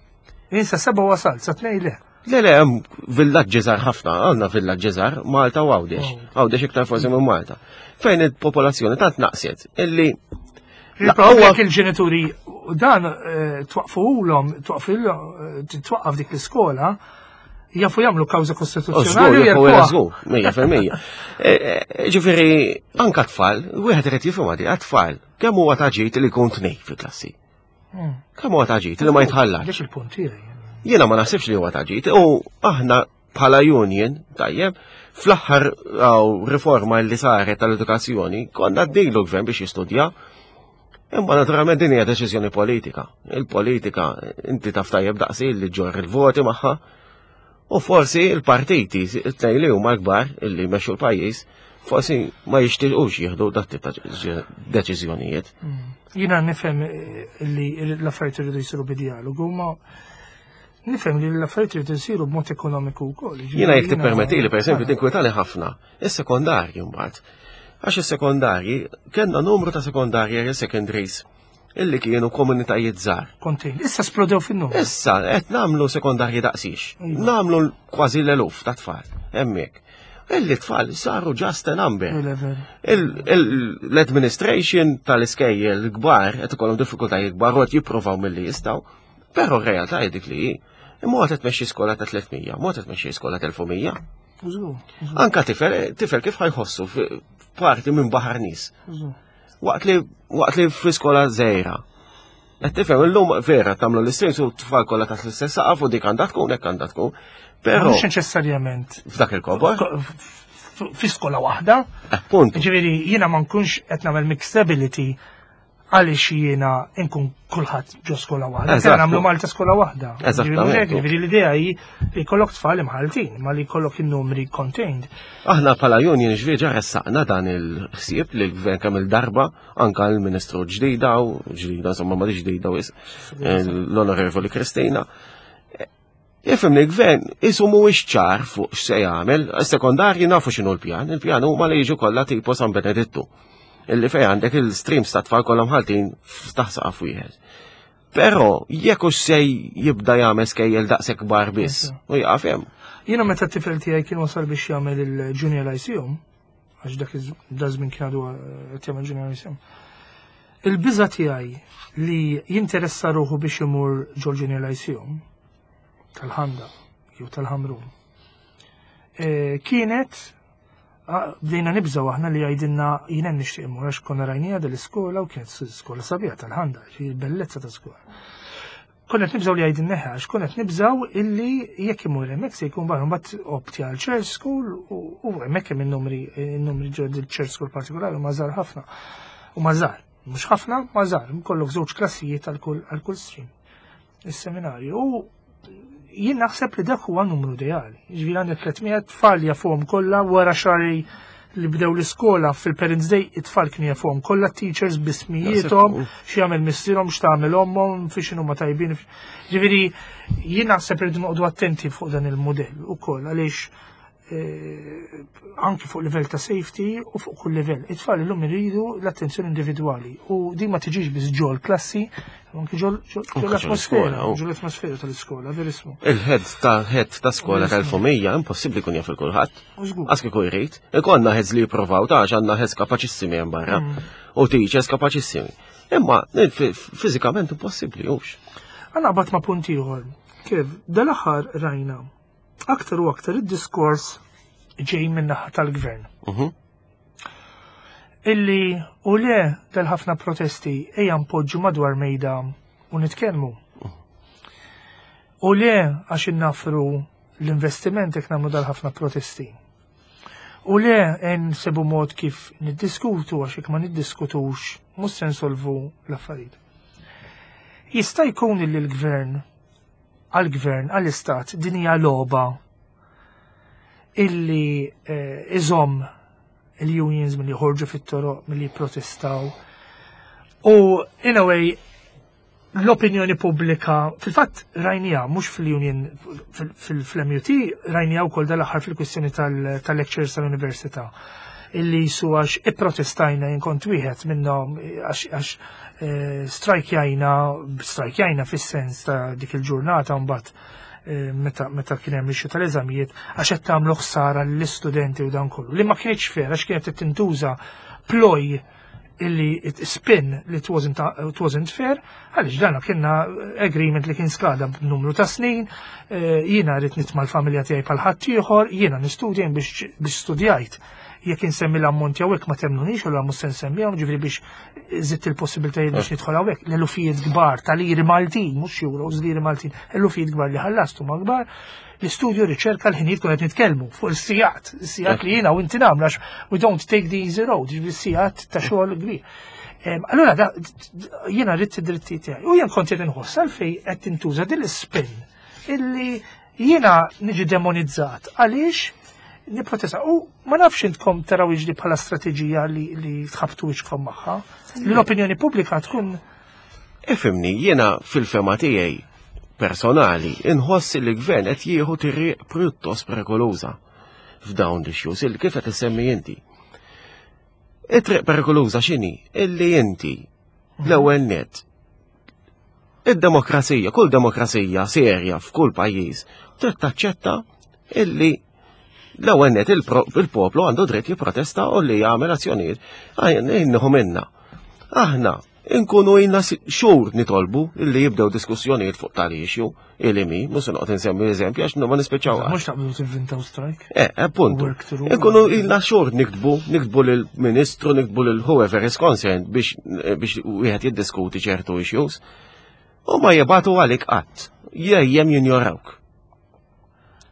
Jien sa seba' wasal, sa tnej le. Le, le, hemm villaġġi żgħar ħafna, għandna villaġġi żgħar, Malta u Għawdex. Għawdex iktar forsi minn Malta. Fejn il-popolazzjoni tant naqset illi Il-problema il-ġenituri dan eh, twaqfuhom, twaqqaf dik l-iskola, jafu jagħmlu kawża kostituzzjonali u Żgur, jerfuha. żgur, mija fil-mija. E, e, Ġifieri, anka tfal, wieħed irid jifhimha di, tfal, kemm huwa ta' ġid li jkun tnej fil-klassi? Mm. Kemm huwa ta' ġid li ma jitħallax? Dik il-punt tiegħi. Jiena ma naħsibx li huwa ta' ġid, u aħna bħala union, tajjeb, fl-aħħar aw, riforma li saret tal-edukazzjoni, konna għednilu gvern biex jistudja. Imma naturalment din hija deċiżjoni politika. Il-politika, inti taf tajjeb daqsi li ġorr il-voti magħha. U forsi il-partiti, it-tnejn li huma kbar illi jmexxu l-pajjiż, forsi ma jixtiequx jieħdu dat tip ta' deċiżjonijiet. Jiena nifhem eh, li l-affarijiet iridu jsiru bi dialogu, ma nifhem li l-affarijiet iridu jsiru b'mod ekonomiku wkoll. Jiena jekk tippermetti li, pereżempju, tinkwetani ħafna, is-sekondarji mbagħad. Għax is-sekondarji, kellna numru ta' sekondarji, secondaries, illi kienu komunitajiet żgħar. Kontin. Issa splodew fin-numru. Issa qed nagħmlu sekondarji daqsix. Iva. Nagħmlu kważi l-eluf ta' tfal hemmhekk. Illi tfal saru just a number. Il-level. L-administration tal-iskejjel kbar qed ikollhom diffikultajiet kbar u qed jippruvaw milli jistgħu, però r-realtà hi dik li hi. Imma qed tmexxi skola ta' tliet mija, mod qed tmexxi skola ta' elf u mija. Żgur, Anka tifel, tifel kif ħa jħossu parti minn baħar nies. żgur. Waqt li waqt li fl-iskola żgħira. Qed tifhem, illum vera tagħmlu l-istess u tfal kollha taħt l-istess saqaf u dik għandha tkun hekk għandha tkun. Però Mhux neċessarjament f'dak il-kobor, fi skola waħda. Punt. Ġifieri jiena ma nkunx qed nagħmel mixtability Għaliex jiena nkun kulħadd ġo skola waħda. Eżatt. Nagħmlu Malta skola waħda. Eżattament. Ġifieri l-idea hi li jkollok tfal imħaltin, ma li jkollok in-numri contained. Aħna bħala union ġvieġa ressaqna dan il-ħsieb li l-gvern kemm il-darba, anka l-ministru ġdida u ġdida, insomma, ma ġdida wis, l-onorevoli Kristina. Ifhem li l-gvern isu mhuwiex ċar fuq x'se jagħmel, is-sekondarji nafu x'inhu l-pjan, il-pjan huma li jiġu kollha tipo San Benedittu. Illi fej għandek il-streams ta' tfal kollha mħaltin f'taħt saqaf wieħed. Però jekk hux se jibda jagħmel skejjel daqshekk kbar biss, u jaqaf hemm. Jiena meta t-tifel tiegħi kien wasal biex jagħmel il-Junior Lyceum, għax dak iż-żmien kien għadu qed jagħmel Junior Lyceum. Il-biża tiegħi li jinteressa ruħu biex imur ġol Junior Lyceum tal-Ħandaq jew tal-Ħamrun. eh, Kienet ah, bdejna nibżaw aħna li jgħidilna jiena nixtieq immur għax konna rajnija dil-iskola u kienet skola sabiħa tal-Ħandaq, xi bellezza ta' skola. Konna qed nibżaw li jgħidilna għax konna qed nibżaw illi jekk imur hemmhekk se jkun barra mbagħad opti għal church school u u hemmhekk hemm in-numri in-numri ġo church school partikolari ma żgħar ħafna. U ma żgħar, mhux ħafna, ma żgħar, kollok żewġ klassijiet għal kull għal kull stream. Is-seminarju. U jien naħseb li dak huwa numru ideali. Ġifieri għandek tliet mitt tfal jafuhom kollha wara xahar li bdew l-iskola fil-Parents Day, it-tfal kienu jafuhom kollha, teachers bismijietom, x'jagħmel missierhom, x'tagħmel ommhom, fi x'inhu ma tajbin. Ġifieri jien naħseb irridu noqogħdu attenti fuq dan il-mudell ukoll għaliex eh, anki fuq livell ta' safety u fuq kull livell. It-tfal illum iridu l-attenzjoni individwali u din ma tiġix biss ġol klassi, anki ġol ġol Anke ġol l-atmosfera, iskola, u- ġol l-atmosfera tal-iskola, verissimo. Il-head ta' head ta' skola tal-familja impossibbli jkun jaf il-kulħadd. U żgur. Għax kieku jrid. Ikollna heads li jippruvaw ta' għax għandna heads kapaċissimi hemm barra. U teachers kapaċissimi. Imma fi- fiżikament impossibbli hux. Għana bat ma punt ieħor. Kif dal-aħħar rajna aktar u aktar id-diskors ġej minn naħa tal-gvern. Mhm. Illi u le tal-ħafna protesti ejja npoġġu madwar mejda u nitkellmu. U le għax innafru l-investiment jekk nagħmlu dal-ħafna protesti. U le nsibu mod kif niddiskutu għax jekk ma niddiskutux mhux se nsolvu l-affarijiet. Jista' jkun li l-gvern għal-gvern, għall-istat, din hija logħba illi eh, iżomm il-unions milli joħorġu fit-toroq, milli jipprotestaw. U in a way, l-opinjoni pubblika, fil-fatt rajnija, mhux fil-union, fil-M U T, rajnija wkoll dal-aħħar fil-kwistjoni tal-lectures tal-università illi jisu għax ipprotestajna, jien kont wieħed minnhom, għax għax eh, strajkjajna, strajkjajna fis-sens ta' dik il-ġurnata mbagħad eh, meta meta kien hemm issue tal-eżamijiet għax qed tagħmlu ħsara lill-istudenti u dan kollu. Li ma kienx fair għax kienet qed tintuża ploy illi it spin li it wasn't, it wasn't fair, għaliex dana kienna agreement li kien skada b'numru ta' snin, eh, jiena rrid nitma' l-familja tiegħi bħal ħadd ieħor, jiena nistudja biex biex studjajt. Jekk insemmi l-ammonti hawnhekk ma temnunix u mhux se nsemmihom, ġifieri biex żidt il-possibilitajiet biex nidħol hawnhekk. L-elufijiet kbar tal-liri Maltin, mhux euros, liri Maltin, elufijiet kbar li ħallastu ma kbar. L-istudju, riċerka, l-ħinijiet, kun qed nitkellmu fuq is-sigħat, is-sigħat li jiena u inti nagħmlu għax we don't take the easy road, ġifieri sigħat ta' xogħol kbir. Em, Allura da- jiena rrid id-dritti tiegħi. U jien kont qed inħoss għalfejn qed tintuża din l-spin illi jiena niġi demonizzat għaliex niprotesta. U ma nafx intkom taraw iġli bħala strateġija li, li tħabtu wiċkom magħha. Li l-opinjoni pubblika tkun Ifhimni, jiena fil-fehma tiegħi personali inħoss li l-gvern qed jieħu triq pjuttost perikoluża f'dawn l-issues il kif qed issemmi inti. It-triq perikoluża x'inhi? Illi inti l-ewwel net id-demokrazija, kull demokrazija serja f'kull pajjiż trid taċċetta illi l-ewwel net il-poplu għandu dritt jipprotesta u li jagħmel azzjonijiet inneħu minna. Aħna inkunu ilna xhur nitolbu illi jibdew diskussjonijiet fuq tal-issue illi mi, mhux se noqgħod insemmi eżempju għax ma nispiċċaw. Mhux taqblu tivvintaw strike. Eh, appuntu. Work through. Inkunu ilna xhur niktbu, niktbu lill-ministru, niktbu lil whoever is concerned biex biex wieħed jiddiskuti ċertu issues. U ma jibagħtu għalik qatt. Jejjem jinjorawk.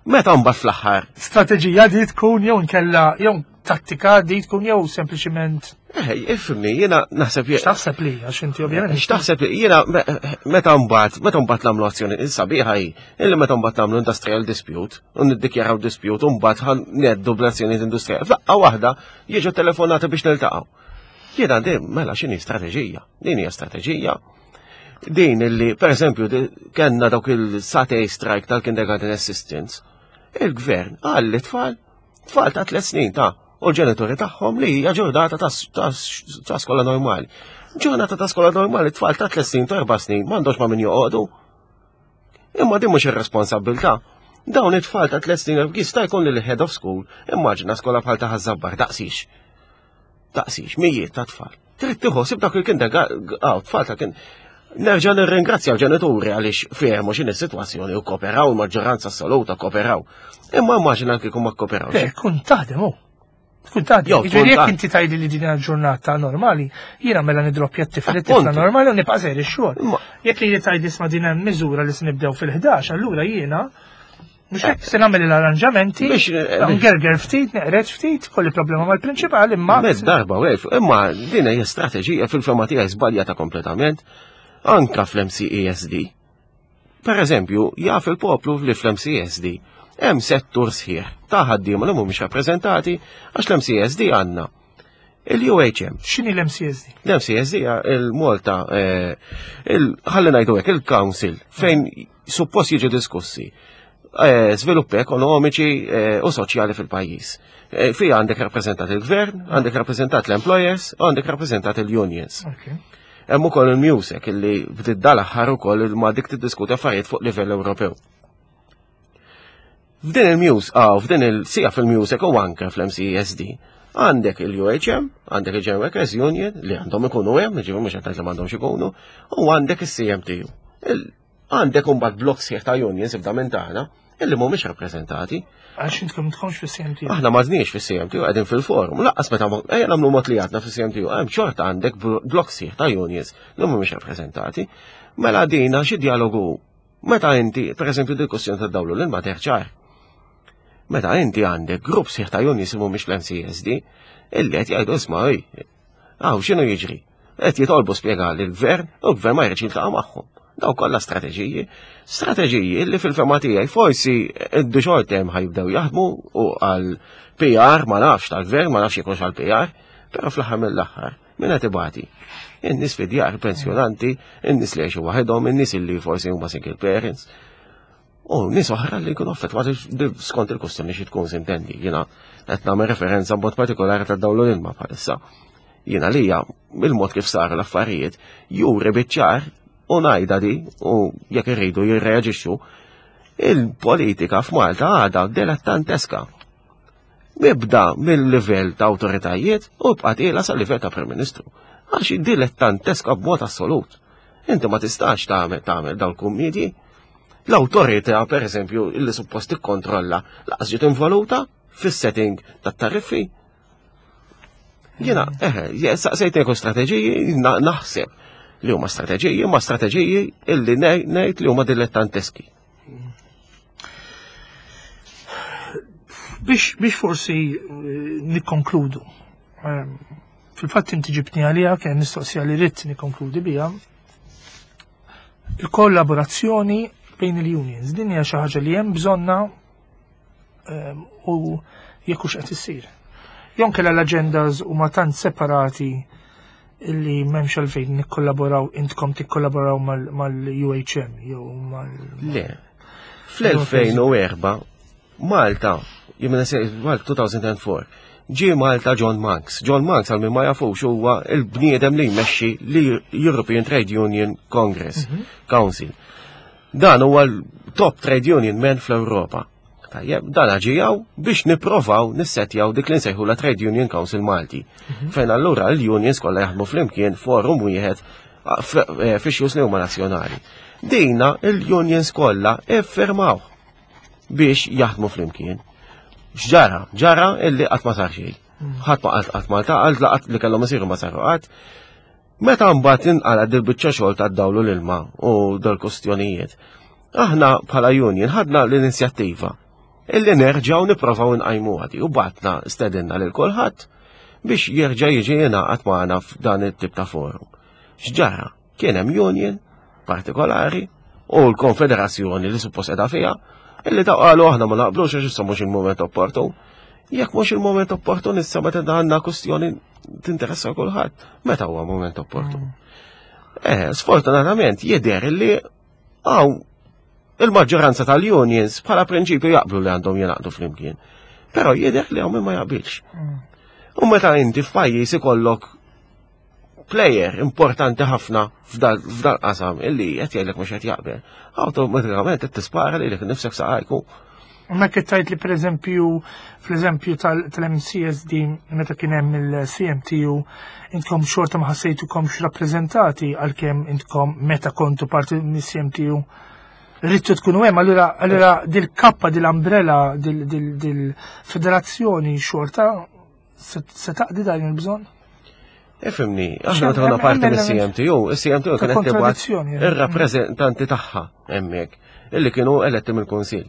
Meta mbagħad fl-aħħar Strateġija di tkun jew nkella jew Tattika di tkun jew sempliċiment. Eh, ifhimni, jiena naħseb X'taħseb li għax inti ovvjament. X'taħseb li jiena meta mbagħad meta mbagħad nagħmlu azzjoni sabiħa hi, illi meta mbagħad nagħmlu industrial dispute u niddikjaraw dispute u mbagħad ħa ngħeddu bl-azzjonijiet industrijali. F'daqqa waħda jiġu telefonati biex niltaqgħu. Jiena din mela x'inhi strateġija? Din hija strateġija. Din illi, per eżempju, kellna dawk il-Saturday strike tal-kindergarten assistants, il-gvern qal li tfal, tfal ta' tliet snin ta' u l-ġenituri tagħhom li hija ġurnata ta' skola normali. Ġurnata ta' skola normali, tfal ta' tliet snin ta' erba' snin m'għandhomx ma' min joqogħdu. Imma din mhux ir-responsabbiltà. Dawn it-tfal ta' tliet snin jista' jkun li l-head of school, immaġina skola bħal ta' Ħaż-Żabbar daqsix. Daqsix, mijiet ta' tfal. Trid tieħu dak il-kindergarten, tfal ta' kien. Nerġa' nirringrazzja l-ġenituri għaliex fehmu x'inhi s-sitwazzjoni u kooperaw, il-maġġoranza assoluta kooperaw. Imma immaġina kieku ma kooperawx. Le, kun taħdem hu. Tkun taħdem. Jiġifieri jekk inti tgħidli li din ġurnata normali, jiena mela nidroppja t-tifel it-tifla normali u nibqa' sejr ix-xogħol. Jekk li tgħidli isma' din hemm miżura li se nibdew fil-ħdax, allura jiena mhux hekk se nagħmel l-arranġamenti, ngerger ftit, neqred ftit, kolli problema mal-prinċipal imma. Mezz darba u imma din hija strateġija fil-fema tiegħi żbaljata kompletament. Anka fl-M C E S D. Per eżempju, jaf il-poplu li fl-M C E S D hemm settur sħiħ ta' ħaddiema li mhumiex rappreżentati għax l-M C E S D għandna il-U H M. X'inhi l-M C S D? L-M C S D hija il-Malta, ħalli ngħidu hekk, il-Council fejn suppost jiġu diskussi żviluppi ekonomiċi u soċjali fil-pajjiż. Fija għandek rappreżentat il-gvern, għandek rappreżentat l-employers, u għandek rappreżentat il-unions. Hemm ukoll il-MUSEC illi bdiet dal-aħħar ukoll ma dik tiddiskuti affarijiet fuq livell Ewropew. F'din il-Muse, ah, f'din il-sija fil-MUSEC u anke fl-M C E S D, għandek il-U H M, għandek il-General Workers Union li għandhom ikunu hemm, jiġifieri mhux qed ngħid li m'għandhomx ikunu, u għandek is-C M T U. Għandek imbagħad blokk sħiħ ta' unions ibda minn tagħna illi mhumiex rappreżentati. Għax intkom tkomx fis-C M T U. Aħna m'għadniex fis-C M T U, qegħdin fil-forum. Laqqas meta ejja nagħmlu mod li għadna fis-C M T U, hemm xorta għandek blokk sħiħ ta' unions li mhumiex rappreżentati. Mela dina xi dialogu. Meta inti, per eżempju, dil-kwestjoni ta' dawlu l-ilma terċar. Meta inti għandek grupp sħiħ ta' unions li mhumiex fl-M C S D, illi qed jgħidu isma' ej, hawn x'inhu jiġri? Qed jitolbu spjega lill-gvern u l-gvern ma jridx jiltaqa' magħhom. Daw kollha strateġiji, strateġiji li fil-fema tiegħi forsi id short term ħajbdew jaħdmu u għal P R ma nafx tal-gvern, ma nafx jkunx għal P R, però fl-aħħar mill-aħħar min qed ibati? In-nies fid-djar, pensjonanti, in-nies li jgħixu waħedhom, in-nies li forsi huma single parents. U nies oħra li jkunu affettwati skont il-kustjoni xi tkun sintendi. Jiena qed nagħmel referenza b'mod partikolari tad-dawl l-ilma bħalissa. Jiena lija il-mod kif saru l-affarijiet juri biċ-ċar u ngħidha di u jekk irridu jirreaġixxu, il-politika f'Malta għadha dilettanteska. Mibda mill-livell ta' awtoritajiet u bqa' tiela sal-livell ta' Prim Ministru. Għax dilettanteska b'mod assolut. Inti ma tistax tagħmel, tagħmel dawn il-kummedji. L-awtorità, per eżempju, illi suppost tikkontrolla, laqas ġiet involuta fis-setting tat-tariffi. Jiena, eħe, saqsejtni jekk strateġiji, na-, naħseb li huma strateġiji, huma strateġiji illi nej-, ngħid li huma dilettanteski. Biex, biex forsi, eh, nikkonkludu. Ehm, fil-fatt inti ġibtni għalija, kien mistoqsija li rrid nikkonkludi biha. Il-kollaborazzjoni bejn il-unions, din hija xi ħaġa li hemm bżonna, ehm, u jekk hux qed issir. Jew inkella l-agendas huma tant separati illi m'hemmx għalfejn nikkollaboraw, intkom tikkollaboraw mal-, mal-U H M jew mal- Le. Fl-elfejn u erba' Malta, jien se Malta two thousand and four, ġie Malta John Monks. John Monks għal min ma jafux huwa il-bniedem li jmexxi l-European Trade Union Congress Mhm. Council. Dan huwa l-top trade union man fl-Ewropa. Tajjeb, dan ġijaw biex nipprovaw nissetjaw dik li nsejħu la Trade Union Council Malti. Mhm. Fejn allura l-unions kollha jaħdmu flimkien forum wieħed eh, fix-xjus li huma nazzjonali. Dina l-unions kollha iffirmaw biex jaħdmu flimkien. X'ġara? Ġara illi qatt ma sar xejn. Mm. Ħadd ma qatt qatt ma ltaqa', laqat li kellhom isiru ma saru qatt. Meta mbagħad inqala' dil-biċċa xogħol tad-dawlu l-ilma u dal-kustjonijiet, aħna bħala union ħadna l-inizjattiva Illi nerġgħu nipprovaw nqajmu għadi u batna stedinna lil kulħadd biex jerġa' jiġi jingħaqad magħna f'dan it-tip ta' forum. X'ġara? Kien hemm union partikolari u l-konfederazzjoni li suppost qiegħda fiha illi ta' qalu aħna ma naqblux għax issa mhux il-moment opportun. Jekk mhux il-moment opportun issa meta għandna kwestjoni tinteressa kulħadd, meta huwa moment opportun? Eh, sfortunatament jidher li għaw il-maġġoranza tal-unions bħala prinċipju jaqblu li għandhom jingħaqdu flimkien. Però jidher li hawn min ma jaqbilx. U meta inti f'pajjiż ikollok player importanti ħafna f'dal qasam illi qed jgħidlek mhux qed jaqbel, awtomatikament qed tispara lilek nifsek saqajku. Ma tgħid li per eżempju, fl-eżempju tal-M C S D meta kien hemm il-C M T U, intkom xorta ma ħassejtukomx rappreżentati, għalkemm intkom meta kontu parti mis-C M T U ridtu tkunu hemm, allura allura dil-kappa, dil-umbrella, dil-federazzjoni xorta se taqdi dan il-bżonn? Ifhimni, aħna meta konna parti mis-C M T U, il-C M T U kienet tibgħat kontradizzjoni, eh. ir-rappreżentanti tagħha hemmhekk, illi kienu eletti mill-Kunsill.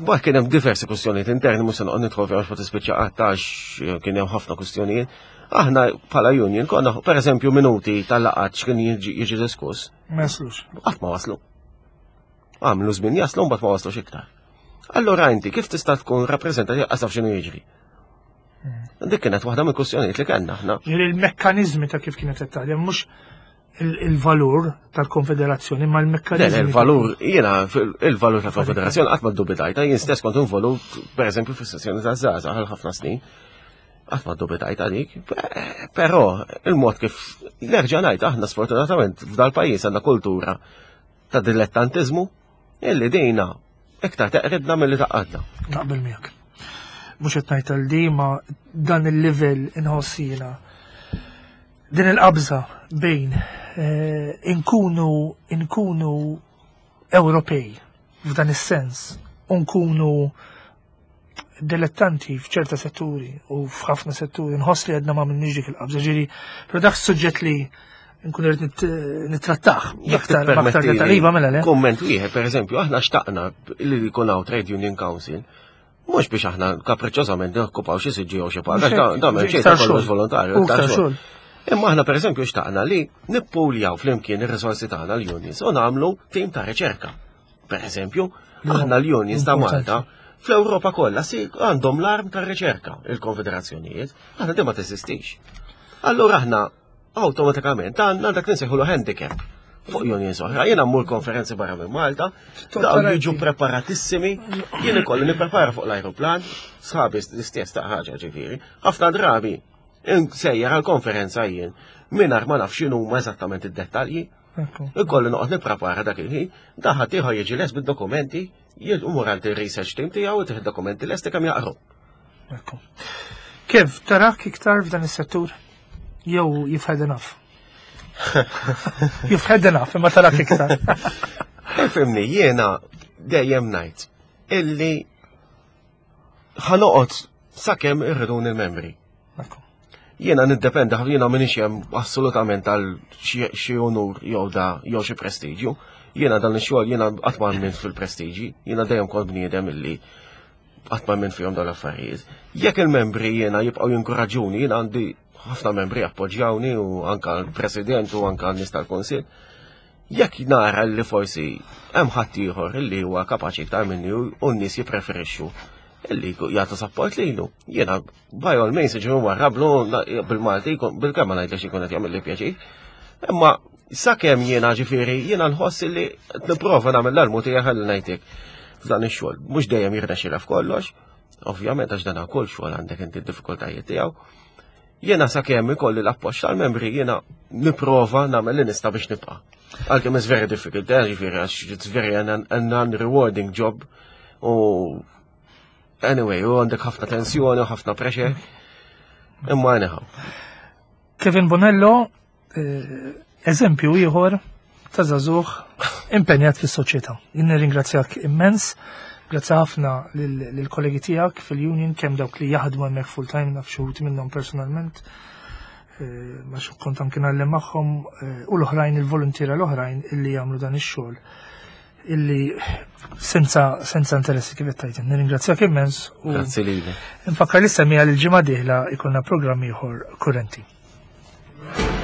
Ba kien hemm diversi kwistjonijiet interni, mhux se noqgħod nidħol fiha għax ma tispiċċa qatt, għax kien hemm ħafna kwistjonijiet. Aħna bħala union konna, pereżempju, minuti tal-laqgħat x'kien jiġi jiġi diskuss, Ma jaslux. Qatt ma waslu. Għamlu żmien jaslu, mbagħad ma waslux iktar. Allura inti kif tista' tkun rappreżentat jekk taf x'inhu jiġri? Dik kienet waħda mill-kwistjonijiet li kellna aħna. Ġifieri il-mekkanizmi ta' kif kienet qed taħdem, mhux il- il-valur tal-konfederazzjoni, ma Le, l-mekkanizmi. le, il-valur, jiena il-valur ta' konfederazzjoni qatt ma ddubitajta, jien stess kont involut, pereżempju, fis-sessjoni ta' żgħażagħ għal ħafna snin. Qatt ma ddubitajta dik, però il-mod kif, nerġa' ngħid, aħna sfortunatament f'dal-pajjiż għandna kultura ta' dilettantizmu illi dejna iktar teqridna milli tgħaqqadna. Naqbel miegħek. Mhux qed ngħid għal di, ma dan il-livell inħossina din il-qabża bejn eh, inkunu inkunu Ewropej f'dan is-sens u nkunu dilettanti f'ċerta setturi u f'ħafna setturi, nħoss li għedna ma minniġ dik il-qabża, ġifieri, però dak suġġett li nkun irrid nit- nittrattah Jekk aktar aktar tippermetti dettall. Iva, mela le. Komment wieħed, per eżempju, aħna xtaqna li jkun hawn Trade Union Council, mhux biex aħna kapriċċożament nokkupaw xi siġġi jew xi paga, Mhux hekk, da m'hemm xejn, iktar ta' kollox xogħol. volontarju, U iktar iktar xogħol. xogħol. Imma aħna, per eżempju, xtaqna li nippuljaw flimkien ir-risorsi tagħna l-unions u nagħmlu tim ta' riċerka. Per eżempju, aħna l-unions ta' Importanti. Malta fl-Ewropa kollha si għandhom l-arm ta' riċerka, il-konfederazzjonijiet, aħna di ma teżistix. Allura aħna awtomatikament għandna dak li nsejħulu handicap fuq unions oħra. Jiena mmur konferenzi barra minn Malta, dawn jiġu preparatissimi, jien ikolli nipprepara fuq l-ajruplan, sħabi l-istess ta' ħaġa ġifieri. Ħafna drabi sejjer għal konferenza jien mingħajr ma naf x'inhuma eżattament id-dettalji. Ekku. Ikolli noqgħod nipprepara dak il-ħin, daħat ieħor jiġi les bid-dokumenti, jmur għand il-research team tiegħu u tieħ dokumenti lesti kemm jaqru. Ekku. Kif tarak iktar f'dan is-settur? Jew you've had enough? You've had enough, imma tarak iktar. Ifhimni, jiena dejjem ngħid illi ħa noqgħod sakemm irridun il-membri. Ekku. Jiena niddependi ħafna, jiena m'iniex hemm assolutament għal xi xi onur jew da jew xi prestiġju. Jiena dan ix-xogħol, jiena qatt ma minn fil-prestiġi, jiena dejjem kont bniedem illi qatt ma minn fihom dawn l-affarijiet. Jekk il-membri jiena jibqgħu jinkoraġuni, jiena għandi ħafna membri appoġġjawni u anka l-President u anka n-nies tal-Kunsill. Jekk nara li forsi hemm ħadd ieħor illi huwa kapaċi iktar minni u n-nies jippreferixxu illi jagħtu support lilu. Jiena by all means ġifieri warrablu bil-Malti bil-kemm ma ngħidlek ikun qed jagħmel li pjaċir. Imma sakemm jiena, ġifieri, jiena nħoss illi qed nipprova nagħmel l-almu tiegħi, ħalli ngħidlek, f'dan ix-xogħol. Mhux dejjem jirnexxilha f'kollox, ovvjament, għax dan kull xogħol għandek inti d-diffikultajiet tiegħu. Jiena sakemm ikolli l-appoġġ tal-membri jiena nipprova nagħmel li nista' biex nibqa'. Għalkemm it's very difficult, eh, ġifieri, għax it's very an, an unrewarding job u anyway, u għandek ħafna tensjoni u ħafna pressure. Imma anyhow. Kevin Bonello, eh, eżempju ieħor ta' żagħżugħ impenjat fis-soċjetà. Jien nirringrazzjak immens, grazzi ħafna lill-kollegi tiegħek fil-union, kemm dawk li jaħdmu hemmhekk full time, naf xi wħud minnhom personalment, eh, ma kont anke ngħallem magħhom, eh, u l-oħrajn, il-voluntiera l-oħrajn illi jagħmlu dan ix-xogħol. Illi senza senza interessi kif qed. Nirringrazzjak immens u Grazzi lilek. Nfakkar li semmija li l-ġimgħa dieħla jkollna programm ieħor kurrenti. Thank you.